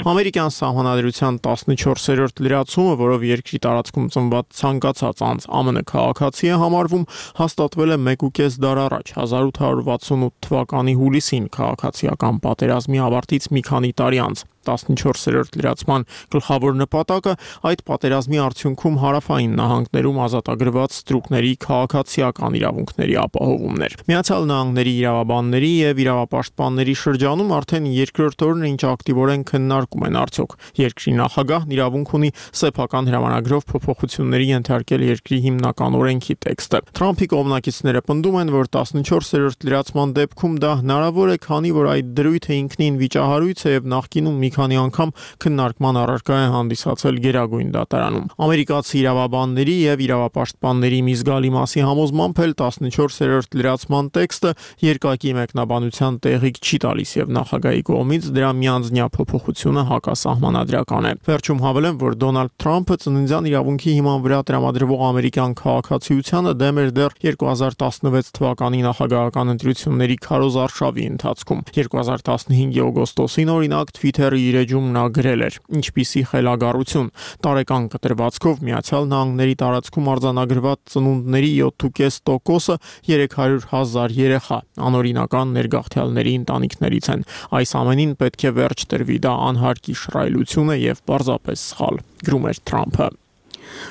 I: Ամերիկյան սահմանադրության 14-րդ լրացումը, որով երկրի տարածքում ծնված ցանկացած անձ ԱՄՆ քաղաքացի է համարվում, հաստատվել է 1.5 դար առաջ 1868 թվականի հուլիսին քաղաքացիական պատերազմի ավարտից մի քանի տարի անց։ 14-րդ լրացման գլխավոր նպատակը այդ պատերազմի արդյունքում հարավային նահանգներում ազատագրված ստրուկների քաղաքացիական իրավունքների ապահովումն էր։ Միացյալ Նահանգների իրավաբանների եւ իրավապաշտպանների շրջանում արդեն երկրորդ օրն ինչ ակտիվորեն քննարկում են արդյոք երկրի նախագահն իրավունք ունի սեփական հրամանագրով փոփոխությունների ենթարկել երկրի հիմնական օրենքի տեքստը։ Թրամփի կողմնակիցները պնդում են, որ 14-րդ լրացման դեպքում դա հնարավոր է, քանի որ այդ դրույթը ինքնին վիճահարույց է եւ նախկինում մի քանի անգամ քննարկման առարկա է հանդիսացել Գերագույն դատարանում։ Ամերիկացի իրավաբանների եւ իրավապաշտպանների մի զգալի մասի համոզմամբ էլ 14-րդ լրացման տեքստը երկակի մեկնաբանության տեղիք չի տալիս եւ նախագահի կողմից դրա միանձնյա փոփոխությունը հակասահմանադրական է։ Վերջում հավելեմ, որ Դոնալդ Թրամփը ծննդյան իրավունքի հիման վրա տրամադրվող ամերիկյան քաղաքացիությանը դեմ էր դեռ 2016 թվականի նախագահական ընտրությունների քարոզարշավի ընթացքում։ 2015-ի օգոստոսին օրինակ Twitter որի իր էջում նա գրել էր. «Ինչպիսի խելագարություն»։ Տարեկան կտրվածքով Միացյալ Նահանգների տարածքում արձանագրված ծնունդների 7.5%-ը 300,000 երեխա, անօրինական ներգաղթյալների ընտանիքներից են։ Այս ամենին պետք է վերջ տրվի, դա անհարկի շռայլություն է եւ պարզապես սխալ, գրում էր Թրամփը։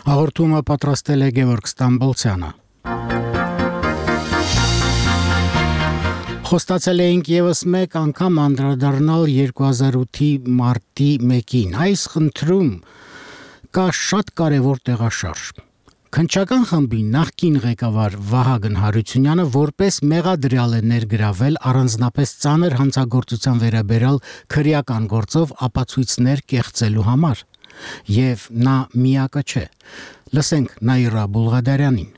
A: Հաղորդումը պատրաստել է Գևորգ Ստամբոլցյանը։ Խոստացել էինք եւս մեկ անգամ անդրադառնալ 2008-ի մարտի 1-ին։ Այս խնդրում կա շատ կարևոր տեղաշարժ։ Քննչական խմբի նախկին ղեկավար Վահագն Հարությունյանը որպես մեղադրյալ է ներգրավել առանձնապես ծանր հանցագործության վերաբերյալ քրեական գործով ապացույցներ կեղծելու համար։ Եվ նա միակը չէ։ Լսենք Նաիրա Բուլղադարյանին։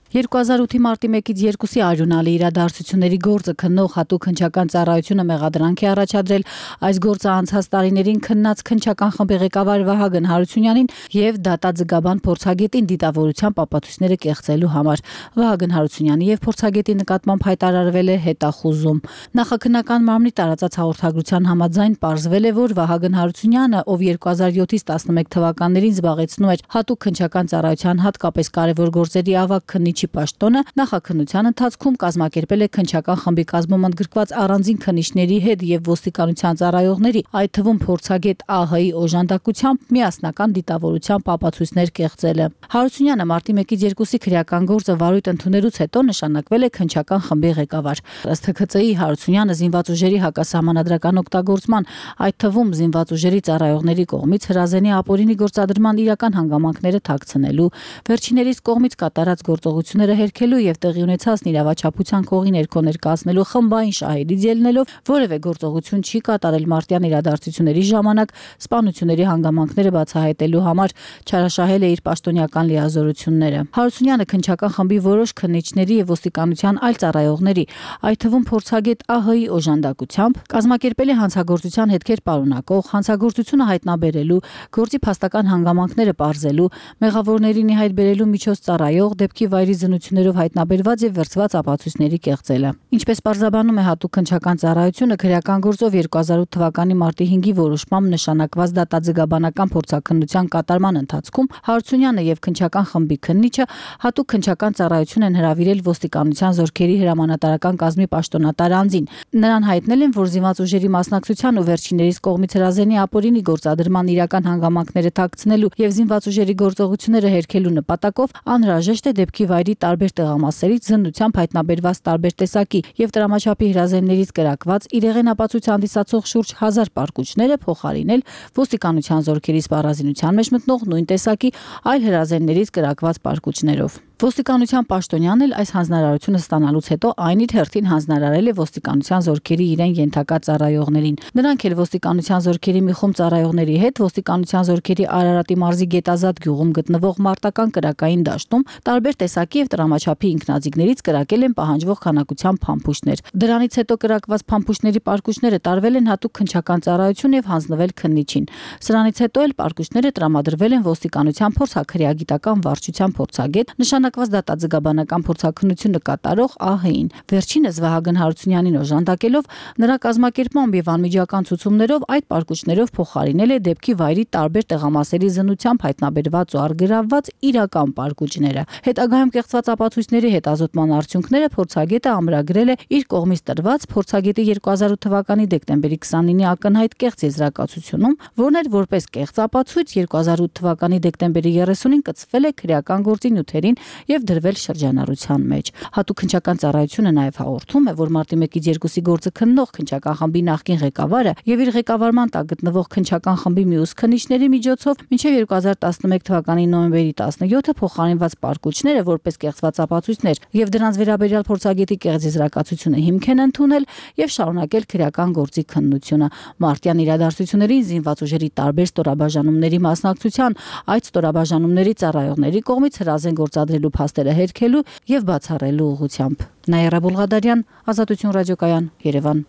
L: 2008-ի մարտի 1-ից 2-ի արյունալի իրադարձությունների գործը քննող հատուկ քննչական ծառայությունը մեղադրանք է առաջադրել այս գործը անցած տարիներին քննած քննչական խմբի ղեկավար Վահագն Հարությունյանին եւ դատաձգաբան փորձագետին դիտավորության ապացույցները կեղծելու համար։ Վահագն Հարությունյանի եւ փորձագետի նկատմամբ հայտարարվել է հետախուզում։ Նախաքննական մարմնի տարածած հաղորդագրության համաձայն պարզվել է, որ Վահագն Հարությունյանը, ով 2007-ից 11 թվականներին զբաղեցնում էր հատուկ քննչական ծառայության հատկապես կարևոր գործերի ավագ քննիչ պաշտոնը, նախաքննության ընթացքում կազմակերպել է քննչական խմբի կազմում ընդգրկված առանձին քննիչների հետ եւ ոստիկանության ծառայողների, այդ թվում փորձագետ ԱՀ-ի օժանդակությամբ միասնական դիտավորությամբ ապացույցներ կեղծել է։ Հարությունյանը մարտի 1-ից 2-ի քրեական գործը վարույթ ընդունելուց հետո նշանակվել է քննչական խմբի ղեկավար։ Ըստ ՀՔԾ-ի Հարությունյանը զինված ուժերի հակասահմանադրական օգտագործման, այդ թվում զինված ուժերի ծառայողների կողմից հրազենի ապօրինի գործադրման իրական հանգամանքները թաքցնելու, վերջիներիս կողմից կատարած գործողությունները հերքելու եւ տեղի ունեցած իրավաչափության քողի ներքո ներկայացնելու խմբային շահերից ելնելով որևէ գործողություն չի կատարել մարտյան իրադարձությունների ժամանակ սպանությունների հանգամանքները բացահայտելու համար, չարաշահել է իր պաշտոնյական լիազորությունները։ Հարությունյանը քննչական խմբի որոշ քննիչների եւ ոստիկանության այլ ծառայողների, այդ թվում փորձագետ ԱՀ-ի օժանդակությամբ կազմակերպել է հանցագործության հետքեր պարունակող, հանցագործությունը հայտնաբերելու, գործի փաստական հանգամանքները պարզելու, մեղավորներին ի հայտ բերելու միջոց ծառայող, դեպքի վայրի զնություններով հայտնաբերված եւ վերցված ապացույցների կեղծելը։ Ինչպես պարզաբանում է հատուկ քննչական ծառայությունը, քրեական գործով 2008 թվականի մարտի 5-ի որոշմամբ նշանակված դատաձգաբանական փորձաքննության կատարման ընթացքում Հարությունյանը եւ քննչական խմբի քննիչը հատուկ քննչական ծառայություն են հրավիրել ոստիկանության զորքերի հրամանատարական կազմի պաշտոնատար անձին։ Նրան հայտնել են, որ զինված ուժերի մասնակցության ու վերջիներիս կողմից հրազենի ապօրինի գործադրման իրական հանգամանքները թաքցնելու եւ զինված ուժերի գործողությունները հերքելու նպատակով անհրաժեշտ է դեպքի վայրի տարբեր տեղամասերից զննությամբ հայտնաբերված տարբեր տեսակի եւ տրամաչափի հրազեններից կրակված իրեղեն ապացույց հանդիսացող շուրջ 1000 պարկուճները փոխարինել ոստիկանության զորքերի սպառազինության մեջ մտնող նույն տեսակի այլ հրազեններից կրակված պարկուճներով։ Ոստիկանության պաշտոնյանն էլ այս հանձնարարությունը ստանալուց հետո այն իր հերթին հանձնարարել է ոստիկանության զորքերի իրեն ենթակա ծառայողներին։ Նրանք էլ ոստիկանության զորքերի մի խումբ ծառայողների հետ ոստիկանության զորքերի Արարատի մարզի Գետազատ գյուղում գտնվող մարտական կրակային դաշտում տարբեր տեսակի եւ տրամաչափի ինքնաձիգներից կրակել են պահանջվող քանակությամբ փամփուշտներ։ Դրանից հետո կրակված փամփուշտների պարկուճները տարվել են հատուկ քննչական ծառայություն եւ հանձնվել քննիչին։ Սրանից հետո էլ պարկուճները տրամադրվել են ոստիկանության փորձաքրեագիտական վարչության փորձագետ նշանակված դատաձգաբանական փորձաքննությունը կատարող ԱՀ-ին։ Վերջինս Վահագն Հարությունյանին օժանդակելով նրա կազմակերպմամբ եւ անմիջական ցուցումներով այդ պարկուճներով փոխարինել է դեպքի վայրի տարբեր տեղամասերի զննությամբ հայտնաբերված ու արգրավված իրական պարկուճները։ Հետագայում կեղծված ապացույցների հետազոտման արդյունքները փորձագետը ամրագրել է իր կողմից տրված փորձագետի 2008 թվականի դեկտեմբերի 29-ի ակնհայտ կեղծ եզրակացությունում, որն էր որպես կեղծ ապացույց 2008 թվականի դեկտեմբերի 30-ին կցվել է քրեական գործի նյութերին եւ դրվել շրջանառության մեջ։ Հատուկ քննչական ծառայությունը նաեւ հաղորդում է, որ մարտի 1-ից 2-ի գործը քննող քննչական խմբի նախկին ղեկավարը եւ իր ղեկավարման տակ գտնվող քննչական խմբի մյուս քննիչների միջոցով մինչեւ 2011 թվականի նոյեմբերի 17-ը փոխարինված պարկուճները որպես կեղծված ապացույցներ եւ դրանց վերաբերյալ փորձագետի կեղծ եզրակացությունը հիմք են ընդունել եւ շարունակել քրեական գործի քննությունը։ Մարտյան իրադարձություններին զինված ուժերի տարբեր ստորաբաժանումների մասնակցության, այդ ստորաբաժանումների ծառայողների կողմից հրազեն գործադրելու փաստերը հերքելու եւ բացառելու ուղղությամբ։ Նաիրա Բուլղադարյան, Ազատություն ռադիոկայան, Երևան։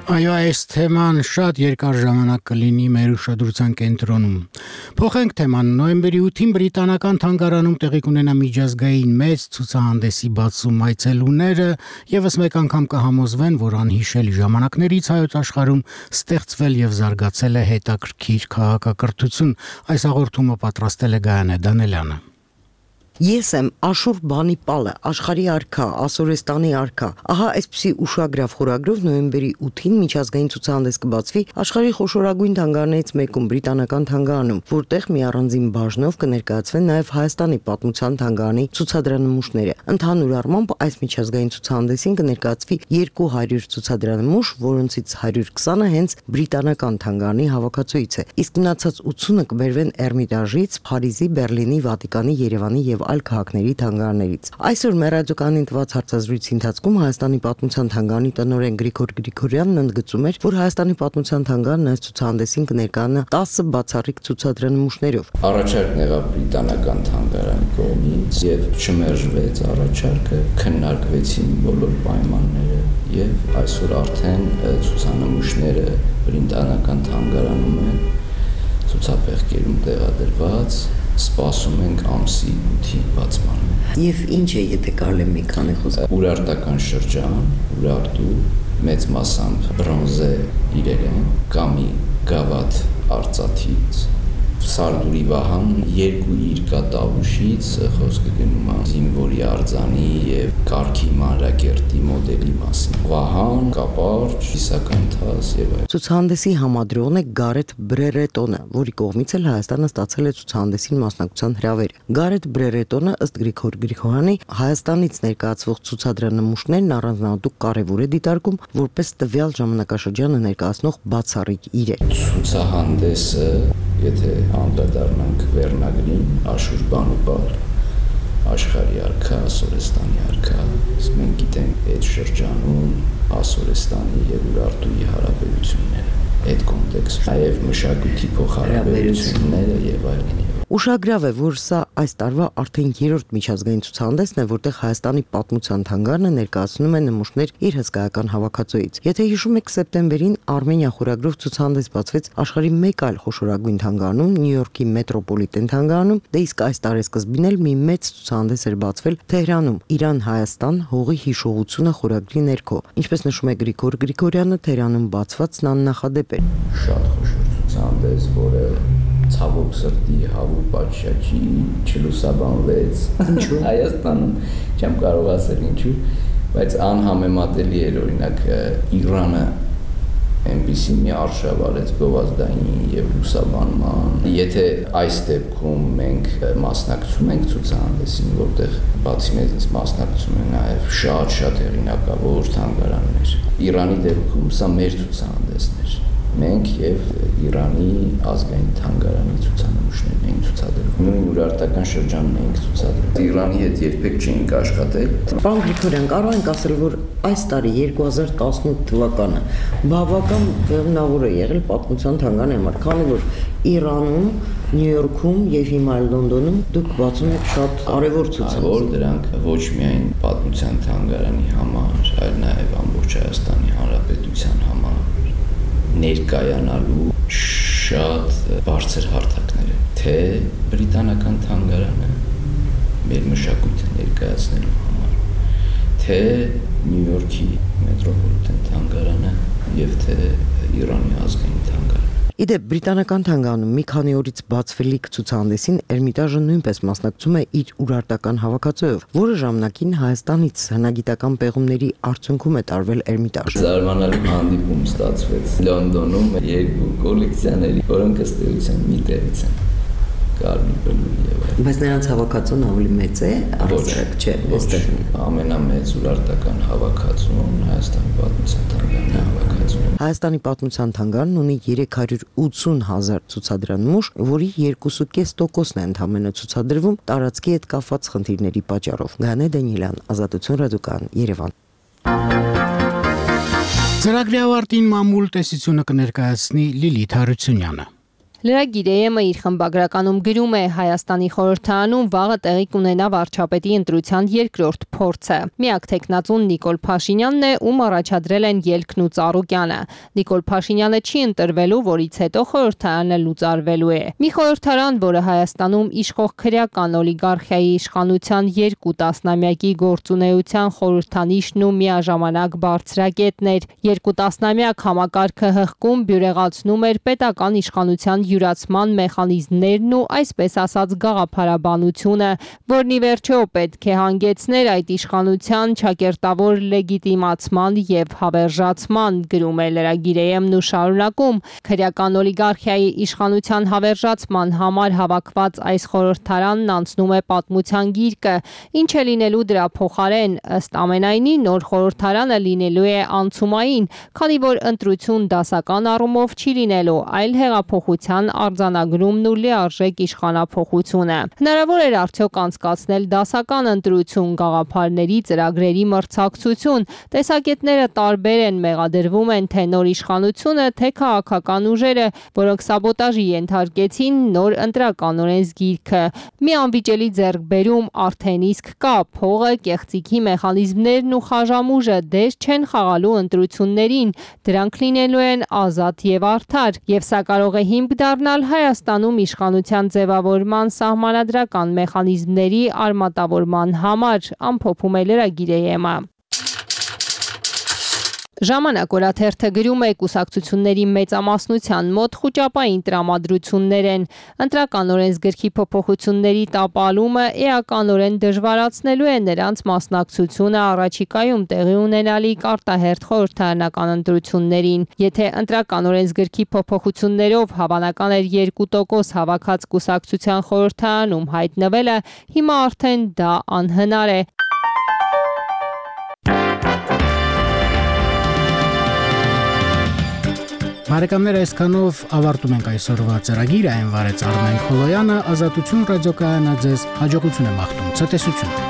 A: Այո, այս թեման շատ երկար ժամանակ կլինի մեր ուշադրության կենտրոնում։ Փոխենք թեման։ Նոյեմբերի 8-ին բրիտանական թանգարանում տեղի կունենա միջազգային մեծ ցուցահանդեսի բացում, այցելուները եւս մեկ անգամ կհամոզվեն, որ անհիշելի ժամանակներից հայոց աշխարհում ստեղծվել եւ զարգացել է հետաքրքիր քաղաքակրթություն։ Այս հաղորդումը պատրաստել է Գայանե Դանելյանը։
N: Ես եմ Աշուր Բանիպալը, աշխարհի արքա, Ասորեստանի արքա։ Ահա այսպիսի ուշագրավ խորագրով նոյեմբերի 8-ին միջազգային ցուցահանդես կբացվի աշխարհի խոշորագույն թանգարաններից մեկում բրիտանական թանգարանում, որտեղ մի առանձին բաժնով կներկայացվեն նաև Հայաստանի պատմության թանգարանի ցուցադրանմուշները։ Ընդհանուր առմամբ այս միջազգային ցուցահանդեսին կներկայացվի 200 ցուցադրանմուշ, որոնցից 120-ը հենց բրիտանական թանգարանի հավաքածուից է, իսկ մնացած 80-ը կբերվեն Էրմիտաժից, Փարիզի, Բերլինի, Վատիկանի, Երևանի եւ այլ քաղաքների թանգարաններից։ Այսօր մեր ռադիոկայանին տված հարցազրույցի ընթացքում Հայաստանի պատմության թանգարանի տնօրեն Գրիգոր Գրիգորյանն ընդգծում էր, որ Հայաստանի պատմության թանգարանն այս ցուցահանդեսին կներկայանա 10 բացառիկ ցուցադրանմուշներով։
O: Առաջարկն եղավ բրիտանական թանգարանի կողմից եւ չմերժվեց առաջարկը, քննարկվեցին բոլոր պայմանները եւ այսօր արդեն ցուցանմուշները բրիտանական թանգարանում են ցուցափեղկերում տեղադրված։ Սպասում ենք ամսի 8-ի բացմանը։
N: Եվ ինչ է, եթե կարելի է մի քանի խոսք։
O: Ուրարտական շրջան, Ուրարտու, մեծ մասամբ բրոնզե իրեր են, կամի գավաթ արծաթից, Սարդուրի Վահան, երկու երկաթավուշից խոսքը գնում է զինվորի արձանի եւ կարգի մանրակերտի մոդելի մասին։ Վահան, կապարջ, իսականթաս եւ այլն։
N: Ցուցահանդեսի համադրողն է Գարեթ Բրերետոնը, որի կողմից էլ Հայաստանը ստացել է ցուցահանդեսին մասնակցության հրավեր։ Գարեթ Բրերետոնը ըստ Գրիգոր Գրիգորյանի Հայաստանից ներկայացվող ցուցադրամուշներն առանձնահատուկ կարևոր է դիտարկում որպես տվյալ ժամանակաշրջանը ներկայացնող բացառիկ իրեր։
O: Ցուցահանդեսը, եթե անդրադառնանք վերնագրին, Աշուր Բանիպալ, աշխարհի արքա, Ասորեստանի արքա, մենք գիտենք այդ շրջանում Ասորեստանի եւ Ուրարտուի հարաբերությունները, այդ կոնտեքստում նաեւ մշակույթի փոխհարաբերությունները եւ այլն։
N: Ուշագրավ է, որ սա այս տարվա արդեն 3-րդ միջազգային ցուցահանդեսն է, որտեղ Հայաստանի պատմության թանգարանը ներկայացնում է նմուշներ իր հսկայական հավաքածուից։ Եթե հիշում եք, սեպտեմբերին Արմենիա խորագրով ցուցահանդես բացվեց աշխարհի մեկ այլ խոշորագույն թանգարանում, Նյու Յորքի մետրոպոլիտեն թանգարանում, դե իսկ այս տարեսկզբին էլ մի մեծ ցուցահանդես էր բացվել Թեհրանում՝ Իրան-Հայաստան հողի հիշողությունը խորագրի ներքո։ Ինչպես նշում է Գրիգոր Գրիգորյանը, Թեհրանում բացվածն աննախադեպ էր։
O: Շատ խոշոր ցուցահանդես, որը ցավոք սրտի հավու պատշաճի չլուսաբանվեց։ Ինչու՞։ Հայաստանում չեմ կարող ասել ինչու, բայց անհամեմատելի էր օրինակ Իրանը այնպիսի մի արշավ արեց գովազդային եւ լուսաբանման։ Եթե այս դեպքում մենք մասնակցում ենք ցուցահանդեսին, որտեղ բացի մեզնից մասնակցում են նաեւ շատ հեղինակավոր թանգարաններ։ Իրանի դեպքում սա մեր ցուցահանդեսն էր։ Մենք եւ Իրանի ազգային թանգարանի ցուցանմուշներն էին ցուցադրում։ Նույն ուրարտական շրջանն էինք ցուցադրում։ Իրանի հետ երբեք չէինք աշխատել։
N: Պարոն Գրիգորյան, կարող ենք ասել, որ այս տարի 2018 թվականը բավական բեղմնավոր է եղել պատմության թանգարանի համար, քանի որ Իրանում, Նյու Յորքում եւ հիմա Լոնդոնում դուք բացում եք շատ կարևոր ցուցահանդես։
O: Դրանք ոչ միայն պատմության թանգարանի համար, այլ նաեւ ամբողջ Հայաստանի Հանրապետության համար ներկայանալու շատ բարձր հարթակներ է, թե բրիտանական թանգարանը մեր մշակույթը ներկայացնելու համար, թե Նյու Յորքի մետրոպոլիտեն թանգարանը եւ թե Իրանի ազգային թանգարանը։
N: Իդեպ բրիտանական թանգարանում մի քանի օրից բացվելիք ցուցահանդեսին Էրմիտաժը նույնպես մասնակցում է իր ուրարտական հավաքածուով, որը ժամանակին Հայաստանից հնագիտական պեղումների արդյունքում է տարվել Էրմիտաժ։
O: Զարմանալի հանդիպում ստացվեց Լոնդոնում երկու կոլեկցիաների, որոնք ըստ էության մի տեղից են։
N: Բայց նրանց հավաքածուն ավելի մեծ է, առանձնարկ չէ, այստեղ
O: ամենամեծ ուրարտական հավաքածուն Հայաստանի պատմության թանգարանի հավաքածուն։
N: Հայաստանի պատմության թանգարանն ունի 380,000 ցուցադրանմուշ, որի 2.5%-ն է ընդամենը ցուցադրվում տարածքի հետ կապված խնդիրների պատճառով։ Գայանե Դանիելյան, Ազատություն ռադիոկայան, Երևան։
A: Ծրագրի ավարտին մամուլ տեսությունը կներկայացնի Լիլիթ Հարությունյանը։
K: Լրագիր իր խմբագրականում գրում է Հայաստանի խորհրդարանում վաղը տեղի կունենա վարչապետի ընտրության երկրորդ փորձը։ Միակ թեկնածուն Նիկոլ Փաշինյանն է, ում առաջադրել են Ելքն ու Ծառուկյանը։ Նիկոլ Փաշինյանը չի ընտրվելու, որից հետո խորհրդարանը լուծարվելու է։ Մի խորհրդարան, որը Հայաստանում իշխող քրեական օլիգարխիայի իշխանության 2 տասնամյակի գործունեության խորհրդանիշն ու միաժամանակ բարձրակետն էր։ 2 տասնամյակ համակարգը հղկում բյուրեղացնում էր պետական իշխանության յուրացման մեխանիզմներն ու այսպես ասած գաղափարաբանությունը, որն ի վերջո պետք է հանգեցներ այդ իշխանության ճակերտավոր լեգիտիմացման եւ հավերժացման, գրում է լրագիր-ն ու շարունակում. քրեական օլիգարխիայի իշխանության հավերժացման համար հավաքված այս խորհրդարանն անցնում է պատմության գիրկը, ինչ է լինելու դրա փոխարեն, ըստ ամենայնի նոր խորհրդարանը լինելու է անցումային, քանի որ ընտրություն դասական առումով չի լինելու, այլ հեղափոխության արձանագրումն ու լիարժեք իշխանափոխությունը։ Հնարավոր էր արդյոք անցկացնել դասական ընտրություն, գաղափարների, ծրագրերի մրցակցություն։ Տեսակետները տարբեր են, մեղադրվում են թե նոր իշխանությունը, թե քաղաքական ուժերը, որոնք սաբոտաժի ենթարկեցին նոր ընտրական օրենսգիրքը։ Մի անվիճելի ձեռքբերում արդեն իսկ կա, փողը, կեղծիքի մեխանիզմներն ու խաժամուժը դեր չեն խաղալու ընտրություններին, դրանք լինելու են ազատ եւ արդար, եւ սա կարող է հիմք դառնալ Հայաստանում իշխանության ձևավորման սահմանադրական մեխանիզմների արմատավորման համար, ամփոփում է լրագիր-ը։ Ժամանակ օրաթերթը գրում է կուսակցությունների մեծամասնության մոտ խուճապային տրամադրություններ են։ Ընտրական օրենսգրքի փոփոխությունների տապալումը էականորեն դժվարացնելու է նրանց մասնակցությունը առաջիկայում տեղի ունենալիք արտահերթ խորհրդարանական ընտրություններին։ Եթե ընտրական օրենսգրքի փոփոխություններով հավանական էր 2% հավաքած կուսակցության խորհրդարանում հայտնվելը, հիմա արդեն դա անհնար է։
A: Բարեկամներ, այսքանով ավարտում ենք այսօրվա ծրագիրը, այն վարեց Արմեն Խոլոյանը, Ազատություն ռադիոկայանը ձեզ հաջողություն է մաղթում, ցտեսություն։